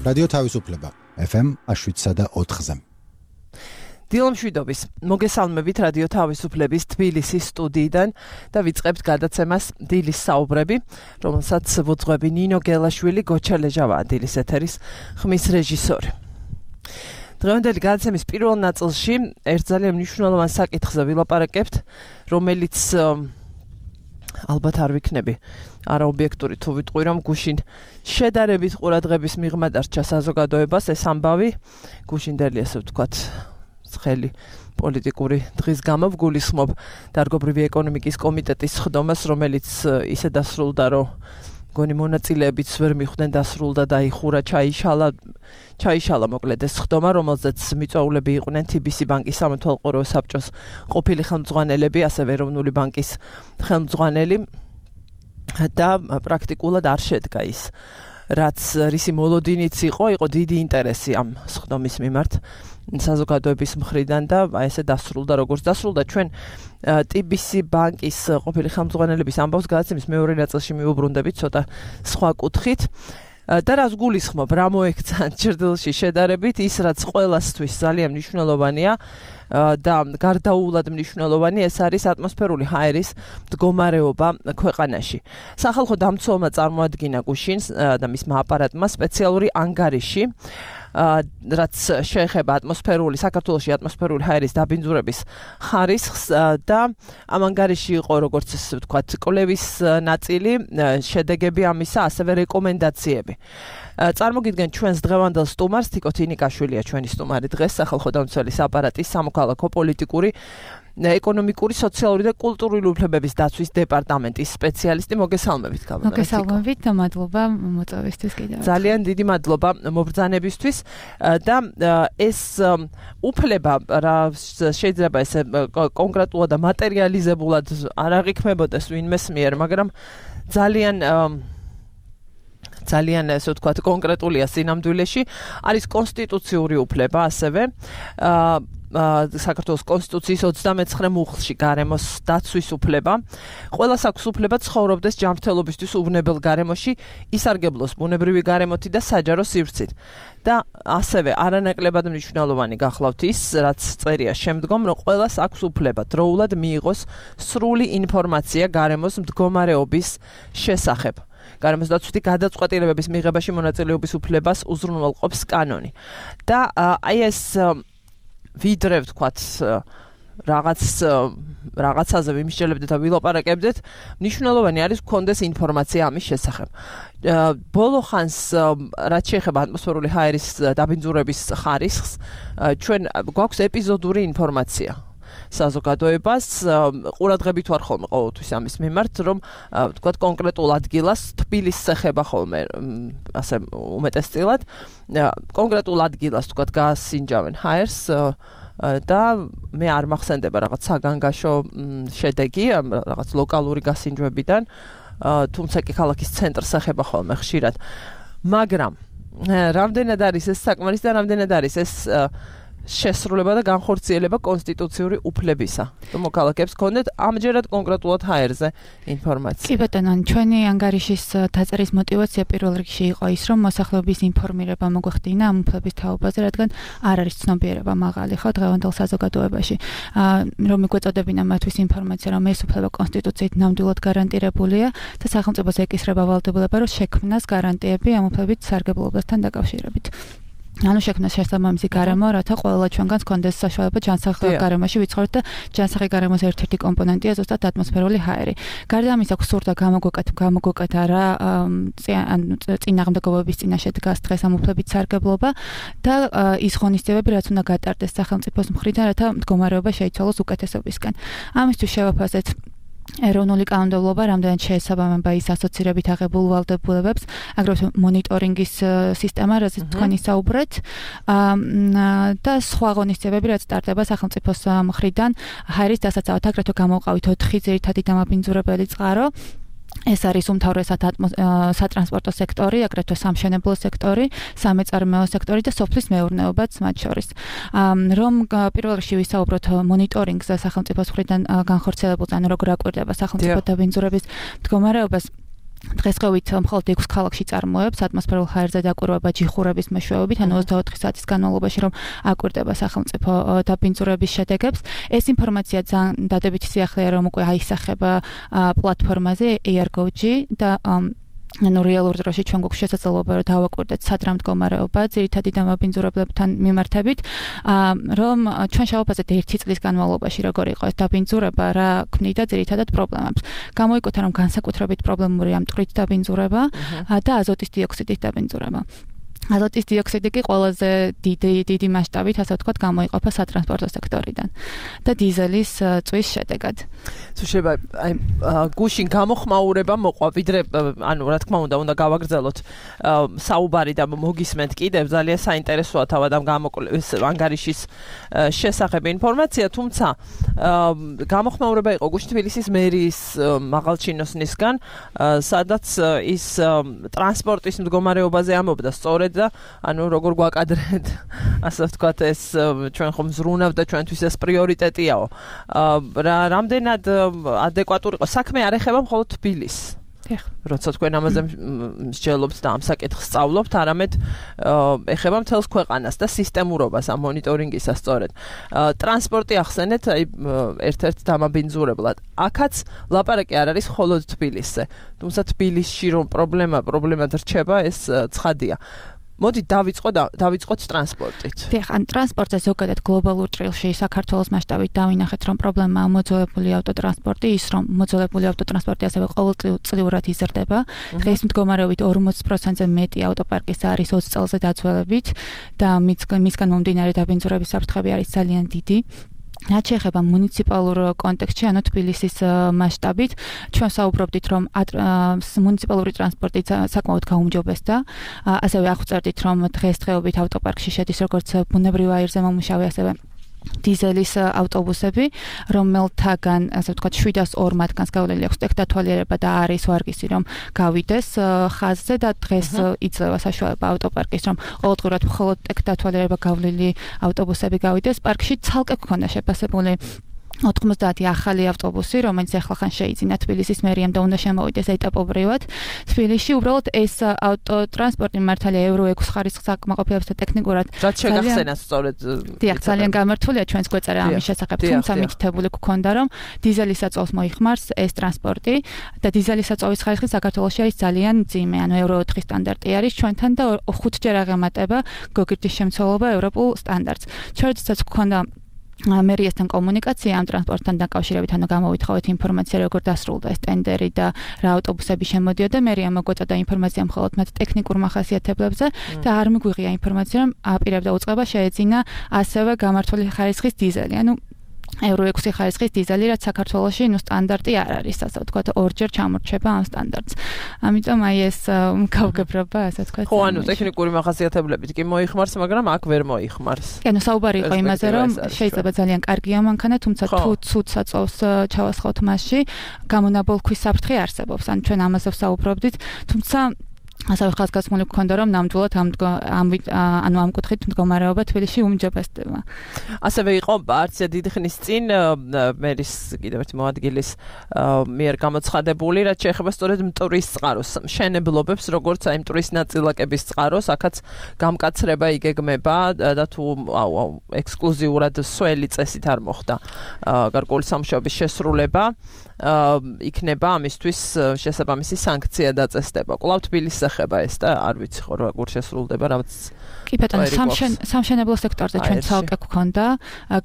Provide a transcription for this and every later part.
რადიო თავისუფლება FM 7.4-ზე. დილომშვიდობის მოგესალმებით რადიო თავისუფლების თბილისის სტუდიიდან და ვიწყებთ გადაცემას დილის საუბრები, რომელსაც ვუძღვები ნინო გელაშვილი, გოჩა ლეჟავაა დილის ეთერის ხმის რეჟისორი. დღევანდელი გადაცემის პირველ ნაწილში ერთ ძალიან მნიშვნელოვან საკითხზე ვილაპარაკებთ, რომელიც ალბათ არ ვიქნები არაობიექტური თუ ვიტყვი რომ გუშინ შედარებით ყურადღების მიღმა დარჩა საზოგადოებას ეს ამბავი გუშინდელი ესე ვთქვათ ცხელი პოლიტიკური დღის გამო ვგულისხმობ დარგობრივი ეკონომიკის კომიტეტის ხდომას, რომელიც ისე დასრულდა, რომ გონი მონაწილეებიც ვერ მიხვდნენ დასრულდა და იხურა ჩაიშალა მოკლედ ეს ხდომა, რომელზეც მიწვეულები იყვნენ TBC ბანკის სამმართველყურო საბჭოს ყოფილი ხელმძღვანელები, ასევე ეროვნული ბანკის ხელმძღვანელი და პრაქტიკულად არ შედგა ის რაც რისი მოლოდინიც იყო დიდი ინტერესი ამ ხდომის მიმართ საზოგადოების მხრიდან და ესე დასრულდა როგორც დასრულდა ჩვენ TBC ბანკის ყოფილი ხელმძღვანელების ამბავს გადაცემის მეორე ნაწილში მივუბრუნდებით ცოტა სხვა კუთხით და რას გულისხმობ რა მოექცა ჭრდილში შედარებით ის რაც ყველასთვის ძალიან მნიშვნელოვანია და გარდაუვლად მნიშვნელოვანი ეს არის ატმოსფერული ჰაერის მდგომარეობა ქვეყანაში. სახალხო დამცველმა წარმოადგინა გუშინ და მისმა აპარატმა სპეციალური ანგარიში რაც შეეხება საქართველოში ატმოსფერული ჰაერის დაბინძურების ხარისხს და ამ ანგარიში იყო როგორც ესე ვთქვათ კვლევის ნაწილი, შედეგები ამისა, ასევე რეკომენდაციები. წარმოგიდგენ ჩვენს დღევანდელ სტუმარს თიკო თინიკაშვილია ჩვენი სტუმარი დღეს სახალხო დამცველის აპარატის სამოქალაქო პოლიტიკური ეკონომიკური, სოციალური და კულტურული უფლებების დაცვის დეპარტამენტის სპეციალისტი. მოგესალმებით, მოგესალმებით და მადლობა მოწვევისთვის კიდევ. ძალიან დიდი მადლობა მობრძანებისთვის და ეს უფლება რა შეიძლება ესე კონკრეტულად და მატერიალიზებულად არ აღიქმებოდეს ვინმეს მიერ, მაგრამ ძალიან ესე ვთქვათ კონკრეტულია სინამდვილეში, არის კონსტიტუციური უფლება ასევე საქართველოს კონსტიტუციის 29 მუხლში გარემოს დაცვის უფლება. ყველას აქვს უფლება ცხოვრობდეს ჯანმრთელობისთვის უვნებელ გარემოში, ისარგებლოს ბუნებრივი გარემოთი და საჯარო სივრცით. და ასევე არანაკლებად მნიშვნელოვანი გახლავთ ის, რაც წერია შემდგომ, რომ ყველას აქვს უფლება დროულად მიიღოს სრული ინფორმაცია გარემოს მდგომარეობის შესახებ. გარემოს დაცვითი გადაწყვეტილებების მიღებაში მონაწილეობის უფლებას უზრუნველყოფს კანონი. და აი ეს ვიდრე ვთქვათ რაღაცაზე ვიმსჯელებდეთ და ვილაპარაკებდეთ, მნიშვნელოვანი არის გქონდეს ინფორმაცია ამის შესახებ. ბოლო ხანს რაც შეეხება ატმოსფერული ჰაერის დაბინძურების ხარისხს, ჩვენ გვაქვს ეპიზოდური ინფორმაცია. საზოგადოებას ყურადღებით ვარ ხოლმე ყოველთვის ამის მიმართ, რომ ვთქვათ კონკრეტულ ადგილას თბილისს ეხება ხოლმე ასე უმეტესწილად კონკრეტულ ადგილას ვთქვათ გასინჯავენ ჰაერს და მე არ მახსენდება რაღაც საგანგაშო შედეგი რაღაც ლოკალური გასინჯვებიდან, თუმცა კი ქალაქის ცენტრს ეხება ხოლმე ხშირად. მაგრამ რამდენად არის ეს საკმარისი და რამდენად არის ეს შესრულება და განხორციელება კონსტიტუციური უფლებისა. თუ მოქალაქეებს ქონდეთ ამჯერად კონკრეტულად ჰაერზე ინფორმაცია. კი ბატონო, ჩვენი ანგარიშის დაწერის მოტივაცია პირველ რიგში იყო ის, რომ მოსახლეობის ინფორმირება მოგვეხდინა ამ უფლების თაობაზე, რადგან არ არის ცნობიერება მაღალი ხო დღევანდელ საზოგადოებაში. რომ მიგვეწოდებინა მათთვის ინფორმაცია, რომ ეს უფლება კონსტიტუციით ნამდვილად გარანტირებულია და სახელმწიფოს ეკისრება ვალდებულება, რომ შექმნას გარანტიები ამ უფლებით სარგებლობასთან დაკავშირებით. ანუ შექმნა შესაბამისი გარემო, რათა ყველა ჩვენგანს კონდეს საშუალება ჯანსაღ გარემოში ვიცხოვროთ და ჯანსაღი გარემოს ერთ-ერთი კომპონენტია ზუსტად ატმოსფერული ჰაერი. გარდა ამისა, სურდა გამოგვეკეთა რა წინააღმდეგობების წინაშე დგას დღეს ამ უფლებით სარგებლობა და ის ღონისძიებები, რაც უნდა გატარდეს სახელმწიფოს მხრიდან, რათა მდგომარეობა შეიცვალოს უკეთესობისკენ. ამისთვის შევაფასეთ ეროვნული კანონმდებლობა რამდენად შეესაბამება ის ასოცირებით აღებულ ვალდებულებებს, აგრეთვე მონიტორინგის სისტემა, რაზეც თქვენ ისაუბრეთ და სხვა ღონისძიებები, რაც ტარდება სახელმწიფოს მხრიდან ჰაერის დასაცავად, აგრეთვე გამოვყავით 4 ძირითადი დამაბინძურებელი წყარო. ეს არის უმთავრესად სატრანსპორტო სექტორი, აგრეთვე სამშენებლო სექტორი, სამეწარმეო სექტორი და სოფლის მეურნეობაც მათ შორის. რომ პირველ რიგში ვისაუბროთ მონიტორინგზე სახელმწიფოს მხრიდან განხორციელებულ, ანუ როგორ აკვირდება სახელმწიფო დაბინძურების მდგომარეობას. დღესდღეობით მხოლოდ 6 ქალაქში წარმოებს ატმოსფერულ ჰაერზე დაკვირვება ჯიხურების მეშვეობით, ანუ 24 საათის განმავლობაში რომ აკვირდება სახელმწიფო დაბინძურების შედეგებს. ეს ინფორმაცია ძალიან დადებითი სიახლეა, რომ უკვე აისახება პლატფორმაზე AirGo-G და ანუ რეალურ დროში ჩვენ გვაქვს შესაძლებლობა რომ დავაკვირდეთ სად რა მდგომარეობა ძირითადი დაბინძურებლებთან მიმართებით, რომ ჩვენ შევაფასეთ 1 წლის განმავლობაში როგორ იყო ეს დაბინძურება, რა ქმნიდა ძირითადად პრობლემებს. გამოიკვეთა რომ განსაკუთრებით პრობლემურია მტვრით დაბინძურება და აზოტის დიოქსიდის დაბინძურება. აზოტის დიოქსიდი კი ყველაზე დიდი მასშტაბით, ასე ვთქვათ, გამოიყოფა სატრანსპორტო სექტორიდან და დიზელის წვის შედეგად. თუ შეიძლება აი გუშინ გამოხმაურება მოყვა, ვიდრე ანუ რა თქმა უნდა გავაგრძელოთ საუბარი და მოგისმენთ კიდევ ძალიან საინტერესოა თავად ამ ანგარიშის შესახებ ინფორმაცია, თუმცა გამოხმაურება იყო გუშინ თბილისის მერიის მაღალჩინოსნისგან, სადაც ის ტრანსპორტის მდგომარეობაზე ამბობდა სწორედ და ანუ როგორ გვაკადრეთ, ასე ვთქვათ, ეს ჩვენ ხომ ზრუნავთ და ჩვენთვის ეს პრიორიტეტიაო. რამდენად ადეკვატური იყო საქმე არ ეხება მხოლოდ თბილისს. როცა თქვენ ამაზე მსჯელობთ და ამ საკითხს სწავლობთ, არამედ ეხება მთელს ქვეყანას და სისტემურობას ამ მონიტორინგისას სწორედ. ტრანსპორტი ახსენეთ, აი ერთ-ერთ დამაბინძურებლად. აქაც ლაპარაკი არ არის მხოლოდ თბილისზე. თუმცა თბილისში რომ პრობლემად რჩება, ეს ცხადია. მოდი დავიწყოთ ტრანსპორტით. დიახ, ან ტრანსპორტზე ზოგადად გლობალურ ჭრილში საქართველოს მასშტაბით დავინახეთ, რომ პრობლემაა მოძველებული ავტოტრანსპორტი, ის რომ მოძველებული ავტოტრანსპორტი ასევე ყოველწლიურად იზრდება. დღეს მდგომარეობით 40%-ზე მეტი ავტოპარკის არის 20 წელზე დაძველებით და მისგან მომდინარე დაბინძურების საფრთხე არის ძალიან დიდი. რაც შეეხება მუნიციპალურ კონტექსტში, ანუ თბილისის მასშტაბით, ჩვენ საუბრობდით, რომ მუნიციპალური ტრანსპორტი საკმაოდ გაუმჯობესდა. ასევე აღწერდით, რომ დღესდღეობით ავტოპარკში შედის როგორც ბუნებრივ აირზე მომუშავე, ასევე დიზელის ავტობუსები, რომელთაგან, ასე ვთქვათ, 702 მათგანს გავლილი აქვს ტექნათვალიერება და არის ვარგისი, რომ გავიდეს ხაზზე და დღეს იძლევა საშუალება ავტოპარკის, რომ ყოველდღურად მხოლოდ ტექნათვალიერება გავლილი ავტობუსები გავიდეს. პარკში ცალკე გქონდა შეფასებული 90 ახალი ავტობუსი, რომელიც ახლახან შეიძინა თბილისის მერიამ და უნდა შემოვიდეს ეტაპობრივად. თბილისში უბრალოდ ეს ავტოტრანსპორტი მართალია Euro 6 ხარისხის საკმაყოფილებას და ტექნიკურად რაც შეგახსენათ სწორედ. დიახ, ძალიან გამართულია ჩვენს გვეწერა ამის შესახებ, თუმცა მითითებული გქონდა, რომ დიზელის საწვავს მოიხმარს ეს ტრანსპორტი და დიზელის საწვავის ხარისხი საქართველოში არის ძალიან მძიმე, ანუ Euro 4 სტანდარტი არის ჩვენთან და 5-ჯერ აღემატება გოგირდის შემცველობა ევროპულ სტანდარტს. ჩვენთაც გქონდა მერიასთან კომუნიკაცია ამ ტრანსპორტთან დაკავშირებით, ანუ გამოვითხოვეთ ინფორმაცია, როგორ დასრულდა ეს ტენდერი და რა ავტობუსები შემოდიოდა. მერია მოგვაწოდა ინფორმაცია მხოლოდ მათ ტექნიკურ მახასიათებლებზე და არ მიგვიღია ინფორმაცია, რომ აპირებდა უწყება შეეძინა ასევე გამართული ხარისხის დიზელი, ანუ Euro 6 ხარისხის დიზელი, რაც საქართველოში სტანდარტი არ არის, ასე ვთქვათ, 2-ჯერ ჩამორჩება ამ სტანდარტს. ამიტომ აი ეს გავგებრობა, ასე ვთქვათ. ხო, ანუ ტექნიკური მახასიათებლებით კი მოიხმარს, მაგრამ აქ ვერ მოიხმარს. ანუ საუბარი იყო იმაზე, რომ შეიძლება ძალიან კარგია მანქანა, თუმცა თუ ცუდ საწვავს ჩავასხოთ მასში, გამონაბოლქვის საფრთხე არსებობს. ან ჩვენ ამაზე ვსაუბრობდით, თუმცა ასევე ხაზგასმული გქონდა, რომ ნამდვილად ამ კუთხით მდგომარეობა თბილისში უმჯობესდება. ასევე იყო არცია დიდი ხნის წინ მერის კიდევ ერთი მოადგილის მიერ გამოცხადებული, რაც შეეხება სწორედ მტვრის წყაროს მშენებლობებს, როგორც აი მტვრის ნაწილაკების წყაროს, აქაც გამკაცრება იგეგმება და თუ ექსკლუზიურად სველი წესით არ მოხდა გარკვეული სამუშაოების შესრულება, იქნება ამისთვის შესაბამისი სანქცია დაწესდება. კვლავ თბილისს ეხება ეს და არ ვიცი ხო როგორ შესრულდება, რაც კი ბატონო, სამშენებლო სექტორზე ჩვენ ცალკე გვქონდა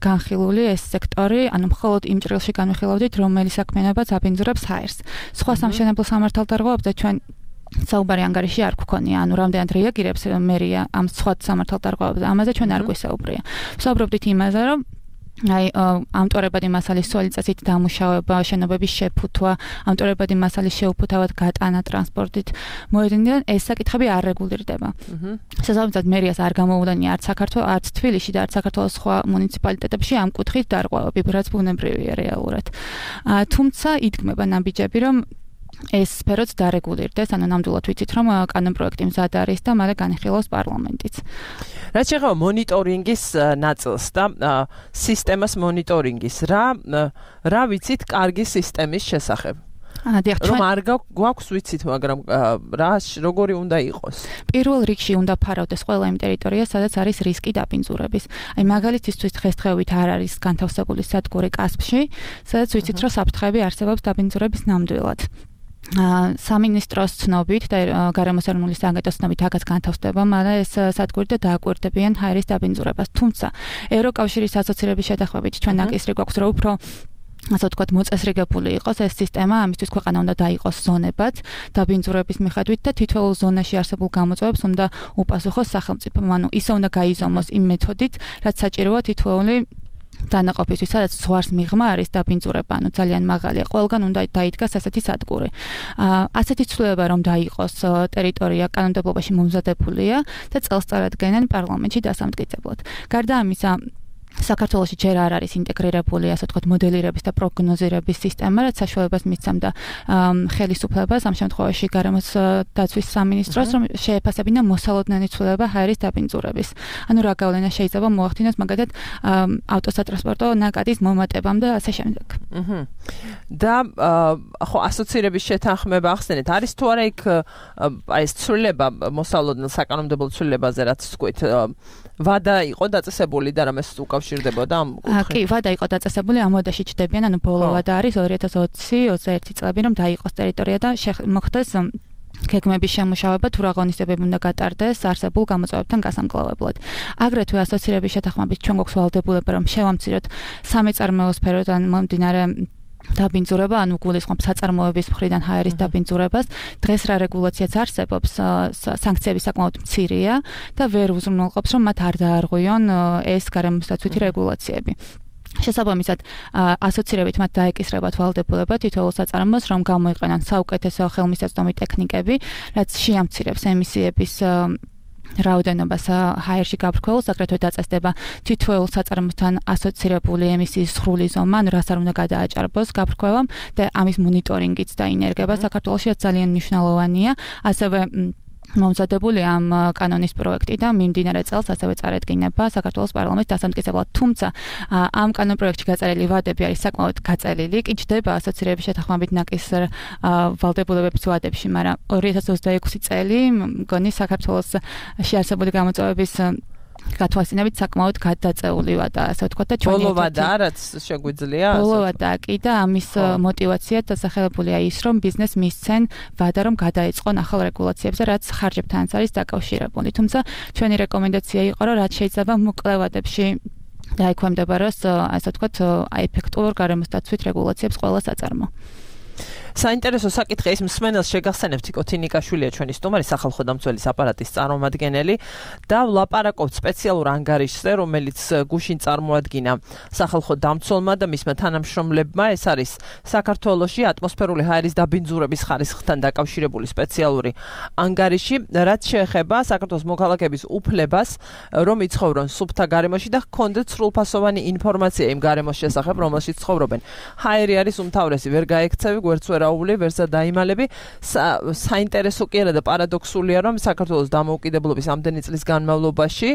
განხილული ეს სექტორი, ანუ მხოლოდ იმ ჭრილში განვიხილავდით, რომელი საქმიანობაც აბინძურებს ჰაერს. სხვა სამშენებლო სამართალდარღვევებზე ჩვენ საუბარი ანგარიში არ გვქონია, ანუ რამდენად რეაგირებს მერია ამ სხვა სამართალდარღვევებზე. ამაზე ჩვენ არ გვისაუბრია. ვსაუბრობდით იმაზე, რომ აი ამტვერებადი მასალის სველი წესით დამუშავება, შენობების შეფუთვა, ამტვერებადი მასალის შეუფუთავად გატანა ტრანსპორტით მოედნიდან ეს საკითხები არ რეგულირდება. შესაბამისად, მერიას არ გამოუვლენია არც საქართველოს, არც თბილისში და არც საქართველოს სხვა მუნიციპალიტეტებში ამ კუთხით დარღვევები, რაც ბუნებრივია რეალურად. თუმცა იდგმება ნაბიჯები, რომ ეს სფეროც დარეგულირდეს, ანუ ნამდვილად ვიცით, რომ კანონპროექტი მზად არის და მალე განიხილავს პარლამენტიც. რაც შეეხება მონიტორინგის ნაწილს და სისტემას მონიტორინგის, რა ვიცით კარგი სისტემის შესახებ? რომ არ გვაქვს ვიცით, მაგრამ როგორი უნდა იყოს? პირველ რიგში უნდა ფარავდეს ყველა იმ ტერიტორიას, სადაც არის რისკი დაბინძურების. აი მაგალითისთვის დღესდღეობით არ არის განთავსებული სადგური კასპში, სადაც ვიცით, რომ საფრთხეები არსებობს დაბინძურების ნამდვილად. სამინისტროს ცნობით და გარემოს ეროვნული სააგენტოს ცნობით აქაც განთავსდება, მაგრამ ეს სადგური და დააკვირდებიან ჰაერის დაბინძურებას. თუმცა ევროკავშირის ასოცირების შეთანხმებით ჩვენ ნაკისრი გვაქვს, რომ უფრო ასე ვთქვათ, მოწესრიგებული იყოს ეს სისტემა, ამისთვის ქვეყანა უნდა დაიყოს ზონებად დაბინძურების მიხედვით და თითოეულ ზონაში არსებულ გამოწვევებს უნდა უპასუხოს სახელმწიფო. ანუ ისე უნდა გაიზომოს იმ მეთოდით, რაც საჭიროა თითოეული დანაყოფისთვის, სადაც ზღვარს მიღმა არის დაბინძურება, ანუ ძალიან მაღალია. ყველგან უნდა დაიდგას ასეთი სადგური. ასეთი ცვლილება რომ დაიყოს ტერიტორია კანონმდებლობაში მომზადებულია და წელსწარადგენენ პარლამენტში დასამტკიცებლად. გარდა ამისა, საქართველოში ჯერ არ არის ინტეგრირებული, ასე ვთქვათ, მოდელირების და პროგნოზირების სისტემა, რაც საშუალებას მისცემდა ხელისუფლებას ამ შემთხვევაში გარემოს დაცვის სამინისტროს, რომ შეეფასებინა მოსალოდნელი ცვლილება ჰაერის დაბინძურების. ანუ რა გავლენა შეიძლება მოახდინოს მაგალითად ავტოსატრანსპორტო ნაკადის მომატებამ და ასე შემდეგ. და ხო ასოცირების შეთანხმება ახსენეთ, არის თუ არა იქ აი ეს ცვლილება მოსალოდნელ საკანონმდებლო ცვლილებაზე, რაც თქვით, ვადა იყო დაწესებული და რამეს უკავშირდებოდა ამ კუთხით? კი, ვადა იყო დაწესებული, ამ ვადაში ჩდებიან, ანუ ბოლო ვადა არის 2020-21 წლები, რომ დაიყოს ტერიტორია და მოხდეს გეგმების შემუშავება, თუ რა ღონისძიებები უნდა გატარდეს არსებულ გამოწვევებთან გასამკლავებლად. აგრეთვე ასოცირების შეთანხმებით ჩვენ გვაქვს ვალდებულება, რომ შევამციროთ სამეწარმეო სფეროდან მომდინარე დაბინძურება, ანუ გულისხმობს საწარმოების მხრიდან ჰაერის დაბინძურებას. დღეს რა რეგულაციაც არსებობს, სანქციები საკმაოდ მცირეა და ვერ უზრუნველყოფს, რომ მათ არ დაარღვიონ ეს გარემოს დაცვითი რეგულაციები. შესაბამისად, ასოცირებით მათ დაეკისრებათ ვალდებულება თითოეულ საწარმოოს, რომ გამოიყენონ საუკეთესო ხელმისაწვდომი ტექნიკები, რაც შეამცირებს ემისიების რაოდენობას ჰაერში გაბრკვეულს, აგრეთვე დაწესდება თითოეულ საწარმოოსთან ასოცირებული ემისიის სრული ზომა, ანუ რას არ უნდა გადააჭარბოს გაბრკვევამ და ამის მონიტორინგიც დაინერგება საქართველოში ძალიან მნიშვნელოვანია. ასევე მომზადებული ამ კანონის პროექტი და მიმდინარე წელს ასევე წარედგინება საქართველოს პარლამენტის დასამტკიცებლად. თუმცა ამ კანონპროექტში გაწერილი ვადები არის საკმაოდ გაწელილი, კი ჩდება ასოცირების შეთანხმებით ნაკისრ ვალდებულებების ვადებში, მაგრამ 2026 წელი მგონი საქართველოს შეარსებული გამოწვევების გათვალისწინებით საკმაოდ გადაწეული ვადა, ასე ვთქვათ და ჩვენი ბოლო ვადა რაც შეგვიძლია ბოლო ვადა კი და ამის мотиваციად დასახელებულია ის, რომ ბიზნეს მისცენ ვადა, რომ გადაეწყონ ახალ რეგულაციებზე, რაც ხარჯებთანაც არის დაკავშირებული. თუმცა ჩვენი რეკომენდაცია იყო, რომ რაც შეიძლება მოკლე ვადებში დაექვემდებაროს, ასე ვთქვათ, ეფექტურ გარემოს დაცვით რეგულაციებს ყველა საწარმო. საინტერესო საკითხი ის მსმენელს შეგახსენებთ იკოთინიკაშვილია ჩვენი სტუმარი სახალხო დამცველის აპარატის წარმომადგენელი და ვლაპარაკობთ სპეციალურ ანგარიშზე, რომელიც გუშინ წარმოადგინა სახალხო დამცველმა და მისმა თანამშრომლებმა. ეს არის საქართველოში ატმოსფერული ჰაერის დაბინძურების ხარისხთან დაკავშირებული სპეციალური ანგარიში, რაც შეეხება საქართველოს მოქალაქეების უფლებას, რომ იცხოვრონ სუფთა გარემოში და ჰქონდეთ სრულფასოვანი ინფორმაცია იმ გარემოს შესახებ, რომელშიც ცხოვრობენ. ჰაერი არის უმთავრესი, ვერ გაექცევი, გვერდს ვერაული, ვერსა დაიმალები. საინტერესო კი არა და პარადოქსულია, რომ საქართველოს დამოუკიდებლობის ამდენი წლის განმავლობაში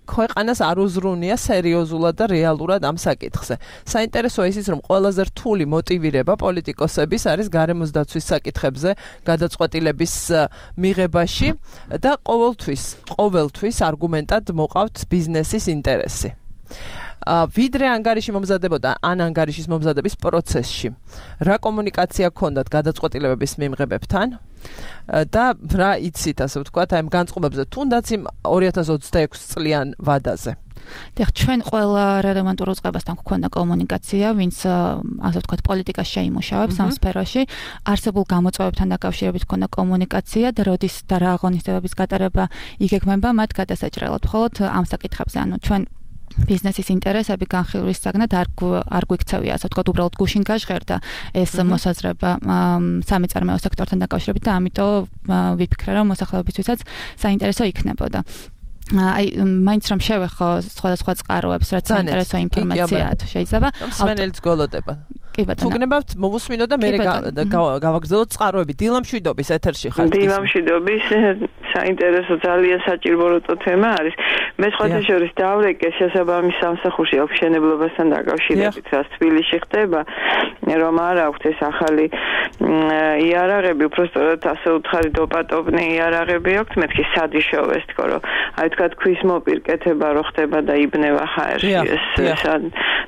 ქვეყანას არ უზრუნია სერიოზულად და რეალურად ამ საკითხზე. საინტერესოა ისიც, რომ ყველაზე რთული მოტივირება პოლიტიკოსების არის გარემოს დაცვის საკითხებზე გადაწყვეტილების მიღებაში და ყოველთვის არგუმენტად მოყავთ ბიზნესის ინტერესი. ვიდრე ანგარიში მომზადებოდა ან ანგარიშის მომზადების პროცესში რა კომუნიკაცია გქონდათ გადაწყვეტილებების მიმღებებთან და რა იცით, ასე ვთქვათ, აი ამ განწყობებზე, თუნდაც იმ 2026 წლიან ვადაზე. დიახ, ჩვენ ყველა რელევანტურ უწყებასთან გვქონდა კომუნიკაცია, ვინც ასე ვთქვათ, პოლიტიკას შეიმუშავებს ამ სფეროში. არსებულ გამოწვევებთან დაკავშირებით გვქონდა კომუნიკაცია და როდის და რა აღონისდებების გატარება იგეგმება მათ გადასაჭრელად. მხოლოდ ამ საკითხებზე, ანუ ჩვენ ბიზნესის ინტერესები განხილვის საგნად არ გვიქცევია, ასე ვთქვათ, უბრალოდ გუშინ გაჟღერდა ეს მოსაზრება სამეწარმეო სექტორთან დაკავშირებით და ამიტომ ვიფიქრე, რომ მოსახლეობისთვისაც საინტერესო იქნებოდა. აი, მაინც რომ შევეხო სხვადასხვა წყაროებს, რაც საინტერესო ინფორმაციაა, შეიძლება. მსმენელიც გველოდება. კი ბატონო. თუ გნებავთ მოვუსმინოთ და მე გავაგრძელოთ წყაროები. დილამშვიდობის ეთერში ხართ. დილამშვიდობის, საინტერესო ძალიან საჭირო თემა არის. მე სხვათა შორის დავრეკე შესაბამის სამსახურში მშენებლობასთან დაკავშირებით, რაც თბილისში ხდება, რომ არ აქვს ეს ახალი იარაღები, უბრალოდ ასე უთხარი დოპატობნი იარაღები აქვს, მეთქი სად იშოვეს თქო, რომ აი თქვა ქვის მოპირკეთება რო ხდება და იბნევა ხაერში ეს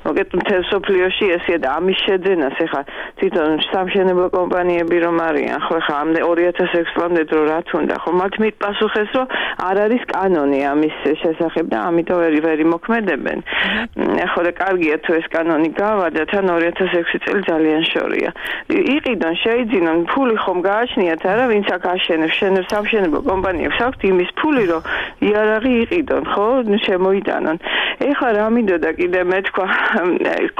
მოგეთ მთელ სოფლიოში ესეა და ამის შეძენას ეხა თვითონ სამშენებლო კომპანიები რომ არიან ხო ეხა 2006 წლამდე დრო რა თუნდა ხო მათ მიტპასუხეს რომ არ არის კანონი ამის შესახებ და ამიტომ ვერ იმოქმედებენ ხო და კარგია თუ ეს კანონი გავადა თან 2006 წელი ძალიან შორია იყიდონ შეიძინონ ფული ხომ გააჩნიათ არა ვინც აქ აშენებს სამშენებლო კომპანიებს აქვთ იმის ფული რომ იარაღი იყიდონ ხო შემოიტანონ ეხლა რა მინდოდა კიდე მე თქვა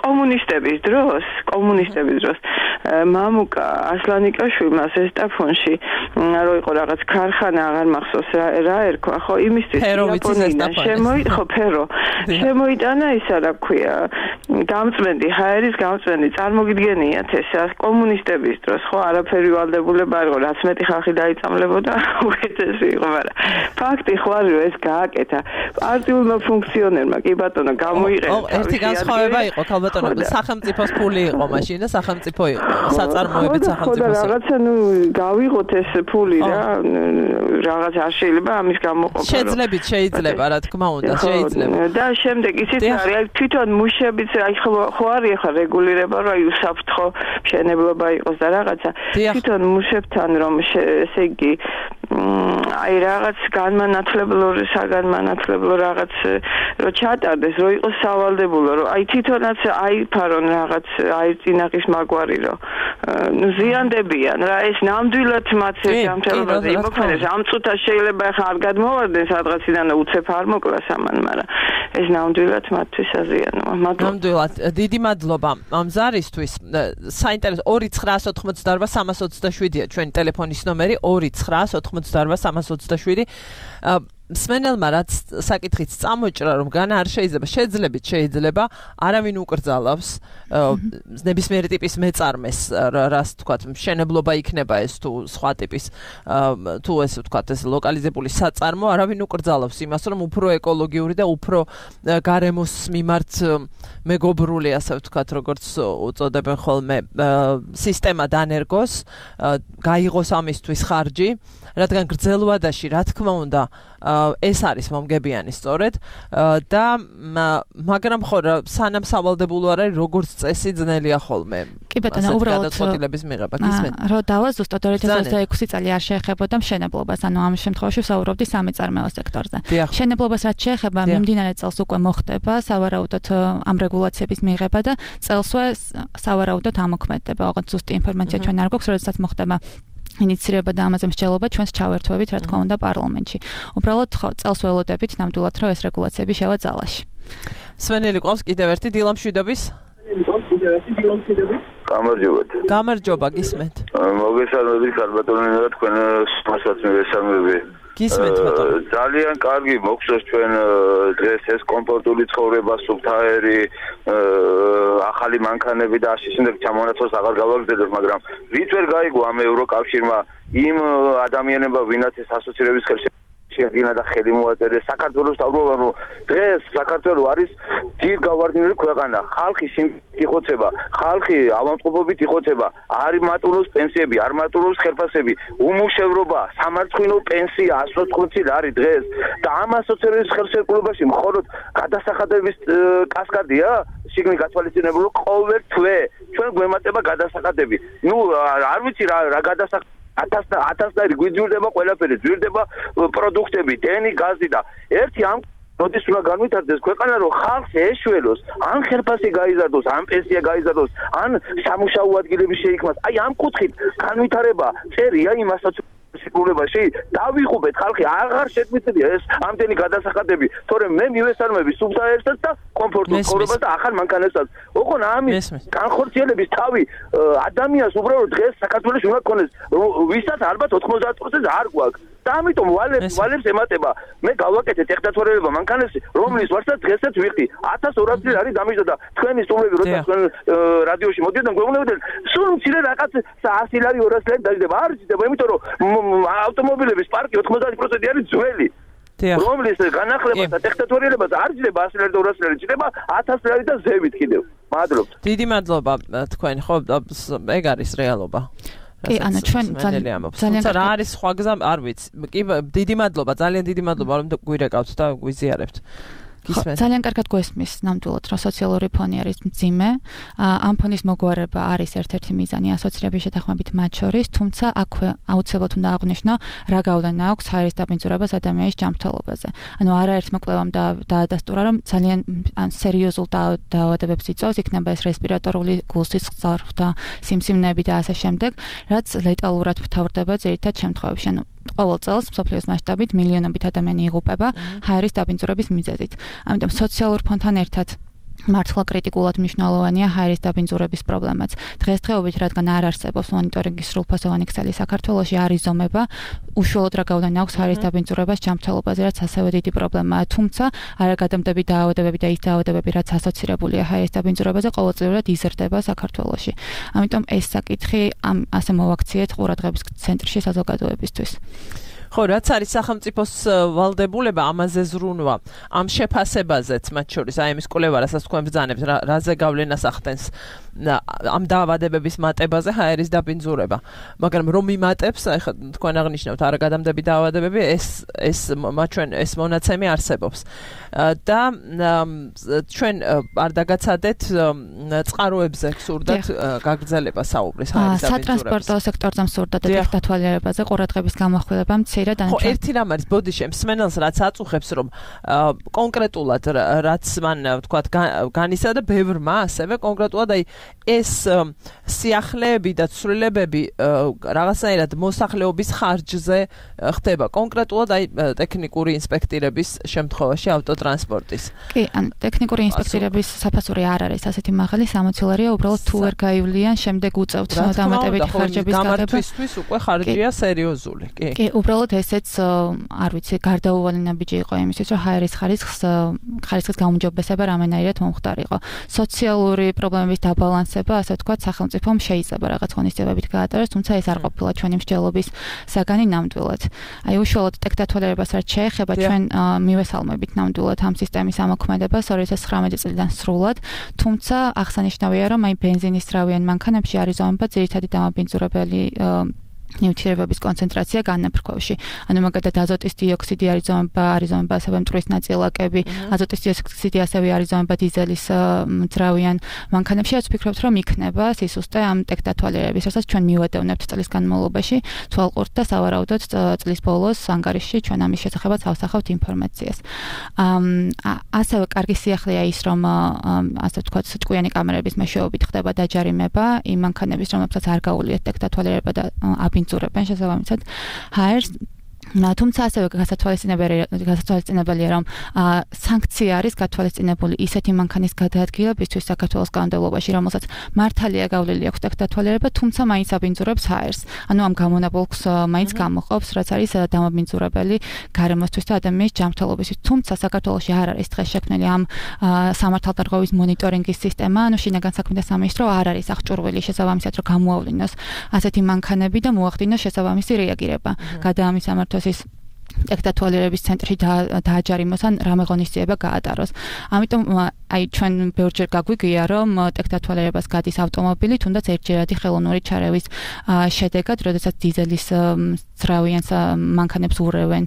კომუნისტების დროს მამუკა ასლანიკაშვილმა ზესტაფონში რო იყო რაღაც ქარხანა აღარ მახსოვს რა ერქვა ხო იმისთვის შემოიტანა ისა რა ქვია გამწმენდი ჰაერის გამწმენდი წარმოგიდგენიათ ეს კომუნისტების დროს ხო არაფერი ვალდებულება არ იყო რაც მეტი ხალხი დაიწამლებოდა უკეთესი იყო მაგრამ ფაქტი ხო არის რომ ეს გააკეთა პარტიულმა ფუნქციონერმა კი ბატონო გამოიყენა ერთი განსხვავება იყო ქალბატონო სახელმწიფოს ფული იყო მაშინ და სახელმწიფო იყო საწარმოებით სახელმწიფოს რაღაცა ნუ გავიღოთ ეს ფული რა რაღაც არ შეიძლება ამის გამოყოფა შეიძლება რა თქმა უნდა შეიძლება და შემდეგ ისიც არის თვითონ მუშებიც აი ხო არის ახლა რეგულირება რომ აი უსაფრთხო მშენებლობა იყოს და რაღაცა თვითონ მუშებთან რომ ესე იგი აი რაღაც განმანათლებლო რაღაც რო ჩატარდეს რო იყოს სავალდებულო რომ აი თვითონაც აიფარონ რაღაც აი წინაღის მაგვარი რომ ზიანდებიან რა ეს ნამდვილად მათ ჯამთელობაზე იმოქმედებს ამ წუთას შეიძლება ახლა არ გადმოვარდნენ სადღაციდან და უცებ არ მოკლა სამან მაგრამ ეს ნამდვილად მათთვის აზიანოა ნამდვილად დიდი მადლობა ამ ზარისთვის საინტერესო 2988327-ია ჩვენი ტელეფონის ნომერი 2988327 მსმენელმა რაც საკითხიც წამოჭრა რომ განა არ შეიძლება არავინ უკრძალავს ნებისმიერი ტიპის მეწარმეს რას თქვათ მშენებლობა იქნება ეს თუ სხვა ტიპის თუ ესე ვთქვათ ეს ლოკალიზებული საწარმო არავინ უკრძალავს იმას რომ უფრო ეკოლოგიური და უფრო გარემოს მიმართ მეგობრული ასე ვთქვათ როგორც უწოდებენ ხოლმე სისტემა დანერგოს გაიღოს ამისთვის ხარჯი რადგან გრძელვადაში რა თქმა უნდა ეს არის მომგებიანი სწორედ და მაგრამ ხო სანამ სავალდებულო არ არის როგორც წესი ძნელია ხოლმე კი ბატონო უბრალოდ გადაწყვეტილების მიღება გისმენთ რომ დავაზუსტოთ 2026 წელი არ შეეხებოდა მშენებლობას ანუ ამ შემთხვევაში ვსაუბრობდი სამეწარმეო სექტორზე მშენებლობას რაც შეეხება მიმდინარე წელს უკვე მოხდება სავარაუდოდ ამ რეგულაციების მიღება და წელსვე სავარაუდოდ ამოქმედდება ოღონდ ზუსტი ინფორმაცია ჩვენ არ გვაქვს როდესაც მოხდება ინიციირება და ამაზე მსჯელობა ჩვენს ჩავერთვებით რა თქმა უნდა პარლამენტში. უბრალოდ ხო წელს ველოდებით ნამდვილად რომ ეს რეგულაციები შევა ძალაში. სვენელი ყავს კიდევ ერთი დილამშვიდობის. გამარჯობა გისმენთ. მოგესალმებით ქალბატონო და თქვენ მასაც მოგესალმები. ძალიან კარგი მოგხსოვს ჩვენ დღეს ეს კომფორტული ცხოვრება, სუფთაერი, ახალი მანქანები და ასე შემდეგ ჩამონაცვლას აღარ გავაგრძელებ, მაგრამ ვით ვერ გაიგო ამ ევროკავშირმა იმ ადამიანებმა, ვინაც ეს ასოცირების ხელში შეადგინა და ხელი მოაწერეს საქართველოს დაბრუნება, რომ დღეს საქართველო არის ძირ გავარდნილი ქვეყანა, ხალხი იხოცება, ხალხი ავადმყოფობით იხოცება, არ მატულობს პენსიები, არ მატულობს ხელფასები, უმუშევრობა, სამარცხვინო პენსია 180 არის დღეს და ამ ასოცირების ხელშეკრულებაში მხოლოდ გადასახადების კასკადია შიგნით გათვალისწინებული ყოველ თვე ჩვენ გვემატება გადასახადები. ნუ არ ვიცი რა გადასახადები 1000 გვიძვირდება ყველაფერი, ძვირდება პროდუქტები, დენი, გაზი და ერთი ამ როდის უნდა განვითარდეს ქვეყანა რომ ხალხს ეშველოს, ან ხელფასი გაიზარდოს, ან პენსია გაიზარდოს, ან სამუშაო ადგილები შეიქმნას. აი ამ კუთხით განვითარება წერია იმასაც სიკურებაში დავიღუბეთ ხალხი აღარ შეგვიძლია ეს ამდენი გადასახადები, თორემ მე მივესალმები სუბსაერსაც და კომფორტულ ცხოვრებას და ახალ მანქანებსაც. ოღონ ამის განხორციელების თავი ადამიანს უბრალოდ დღეს საქართველოს უნდა გქონდეს, ვისაც ალბათ 90% არ გვაქვს. და ამიტომ ვალებს ემატება მე გავაკეთე ტექნათვალიერება მანქანებში რომლის ვარსაც დღესაც ვიხდი 1200 წელი არის დამიჯდა და თქვენი სტუმრები როცა თქვენ რადიოში მოდიოდნენ გვეუბნებოდნენ სულ მცირე რაღაც 100 ლარი 200 ლარი დაждდება არ იზრდება იმიტომ რომ ავტომობილების პარკი 90% არის ძველი რომლის განახლება და ტექნათვალიერებას არ იზრდება 100 ლარი და 200 ლარი იზრდება 1000 ლარი და ზევით კიდევ მადლობთ დიდი მადლობა თქვენ ხო ეგ არის რეალობა კი ანა ჩვენ ძალიან რა არის სხვა გზა არ ვიცი კი დიდი მადლობა ძალიან დიდი მადლობა რომ გვირეკავთ და გვიზიარებთ ძალიან კარგად გვესმის ნამდვილად რომ სოციალური ფონი არის მძიმე ამ ფონის მოგვარება არის ერთ-ერთი მიზანი ასოცირების შეთანხმებით მათ შორის თუმცა აქვე აუცილებლად უნდა აღვნიშნო რა გავლენა აქვს ჰაერის დაბინძურებას ადამიანის ჯანმრთელობაზე ანუ არაერთმა კვლევამ დაადასტურა რომ ძალიან სერიოზულ დაავადებებს იწვევს იქნება ეს რესპირატორული გულსისხლძარღვთა სიმსივნეები და ასე შემდეგ რაც ლეტალურად მთავრდება ძირითად შემთხვევებში ანუ ყოველ წელს მსოფლიოს მასშტაბით მილიონობით ადამიანი იღუპება ჰაერის დაბინძურების მიზეზით. ამიტომ სოციალურ ფონდთან ერთად მართლა კრიტიკულად მნიშვნელოვანია ჰაერის დაბინძურების პრობლემაც. დღესდღეობით რადგან არ არსებობს მონიტორინგის სრულფასოვანი ქსელი საქართველოში არ იზომება უშუალოდ რა გავლენა აქვს ჰაერის დაბინძურებას ჯანმრთელობაზე, რაც ასევე დიდი პრობლემაა. თუმცა არაგადამტები დაავადებები და ის დაავადებები, რაც ასოცირებულია ჰაერის დაბინძურებაზე, ყოველწლიურად იზრდება საქართველოში. ამიტომ ეს საკითხი ასე მოვაქციეთ ყურადღების ცენტრში საზოგადოებისთვის. ხო, რაც არის სახელმწიფოს ვალდებულება ამაზე ზრუნვა, ამ შეფასებაზეც მათ შორის, აი ამის კვლევა, რასაც თქვენ ბრძანებთ, რაზე გავლენას ახდენს ამ დაავადებების მატებაზე ჰაერის დაბინძურება. მაგრამ რომ იმატებს, აი ხა თქვენ აღნიშნავთ არაგადამტები დაავადებები, ეს მონაცემი არსებობს. და ჩვენ არ დაგაცადეთ წყაროებზე გსურდათ გაგრძელება საუბრის ჰაერის დაბინძურებაზე. სატრანსპორტო სექტორზე მსურდათ და ტექნათვალიერებაზე ყურადღების გამახვილება ხო, ერთი რამ არის ბოდიში მსმენელს რაც აწუხებს რომ კონკრეტულად რაც მან თქვა განისა და ბევრმა ასევე კონკრეტულად აი ეს სიახლეები და ცვლილებები რაღაცნაირად მოსახლეობის ხარჯზე ხდება კონკრეტულად აი ტექნიკური ინსპექტირების შემთხვევაში ავტოტრანსპორტის. კი, ან ტექნიკური ინსპექტირების საფასური არ არის ასეთი მაღალი, სამოცილარია უბრალოდ თუ ვერ გაივლიან შემდეგ უწევთ დამატებითი ხარჯების გაგება. გამართვისთვის უკვე ხარჯია სერიოზული. კი, უბრალოდ ესეც არ ვიცი, გარდაუვალი ნაბიჯი იყო იმისთვის, რომ ჰაერის ხარისხის გაუმჯობესება რამენაირად მომხდარიყო. სოციალური პრობლემების დაბალანსება, ასე ვთქვათ, სახელმწიფომ შეიძლება რაღაც ღონისძიებებით გაატაროს, თუმცა ეს არ ყოფილა ჩვენი მსჯელობის საგანი ნამდვილად. აი უშუალოდ ტექნათვალიერებას რაც შეეხება, ჩვენ მივესალმებით ნამდვილად ამ სისტემის ამოქმედებას 2019 წლიდან სრულად, თუმცა აღსანიშნავია, რომ აი ბენზინის რავიან მანქანებში არის ზომება ძირითადი დამაბინძურებელი ნიუტრიენტების კონცენტრაცია განაფრქვევში. ანუ მაგალითად აზოტის დიოქსიდი არის ზომება ასევე მტვრის ნაწილაკები, აზოტის დიოქსიდი ასევე არის ზომება დიზელის ძრავიან მანქანებში. რაც ვფიქრობთ, რომ იქნება სისუსტე ამ ტექნათვალიერების, რასაც ჩვენ მივადევნებთ წლის განმავლობაში, თვალყურთ და სავარაუდოდ წლის ბოლოს ანგარიშში ჩვენ ამის შესახებაც ავსახავთ ინფორმაციას. ასევე კარგი სიახლეა ის, რომ ასე ვთქვათ, ჭკვიანი კამერების მეშვეობით ხდება დაჯარიმება იმ მანქანების, რომლებსაც არ გაუვლიათ ტექნათვალიერება და აბინძურებენ შესაბამისად ჰაერს. თუმცა ასევე გასათვალისწინებელია, რომ სანქცია არის გათვალისწინებული ისეთი მანქანის გადაადგილებისთვის საქართველოს განმავლობაში, რომელსაც მართალია გავლილი აქვს ტექნათვალიერება, თუმცა მაინც აბინძურებს ჰაერს. ანუ ამ გამონაბოლქს მაინც გამოყოფს, რაც არის დამაბინძურებელი გარემოსთვის და ადამიანის ჯანმრთელობისთვის. თუმცა საქართველოში არ არის დღეს შექმნილი ამ სამართალდარღვევის მონიტორინგის სისტემა, ანუ შინაგან საქმეთა სამინისტრო არ არის აღჭურვილი შესაბამისად, რომ გამოავლინოს ასეთი მანქანები და მოახდინოს შესაბამისი რეაგირება. გადაამის სამართლის ტექნათვალიერების ცენტრში დააჯარიმოს ან რამე ღონისძიება გაატაროს. ამიტომ აი ჩვენ ბევრჯერ გაგვიგია, რომ ტექნათვალიერებას გადის ავტომობილი, თუნდაც ერთჯერადი ხელოვნური ჩარევის შედეგად, როდესაც დიზელის ძრავიან მანქანებს ურევენ,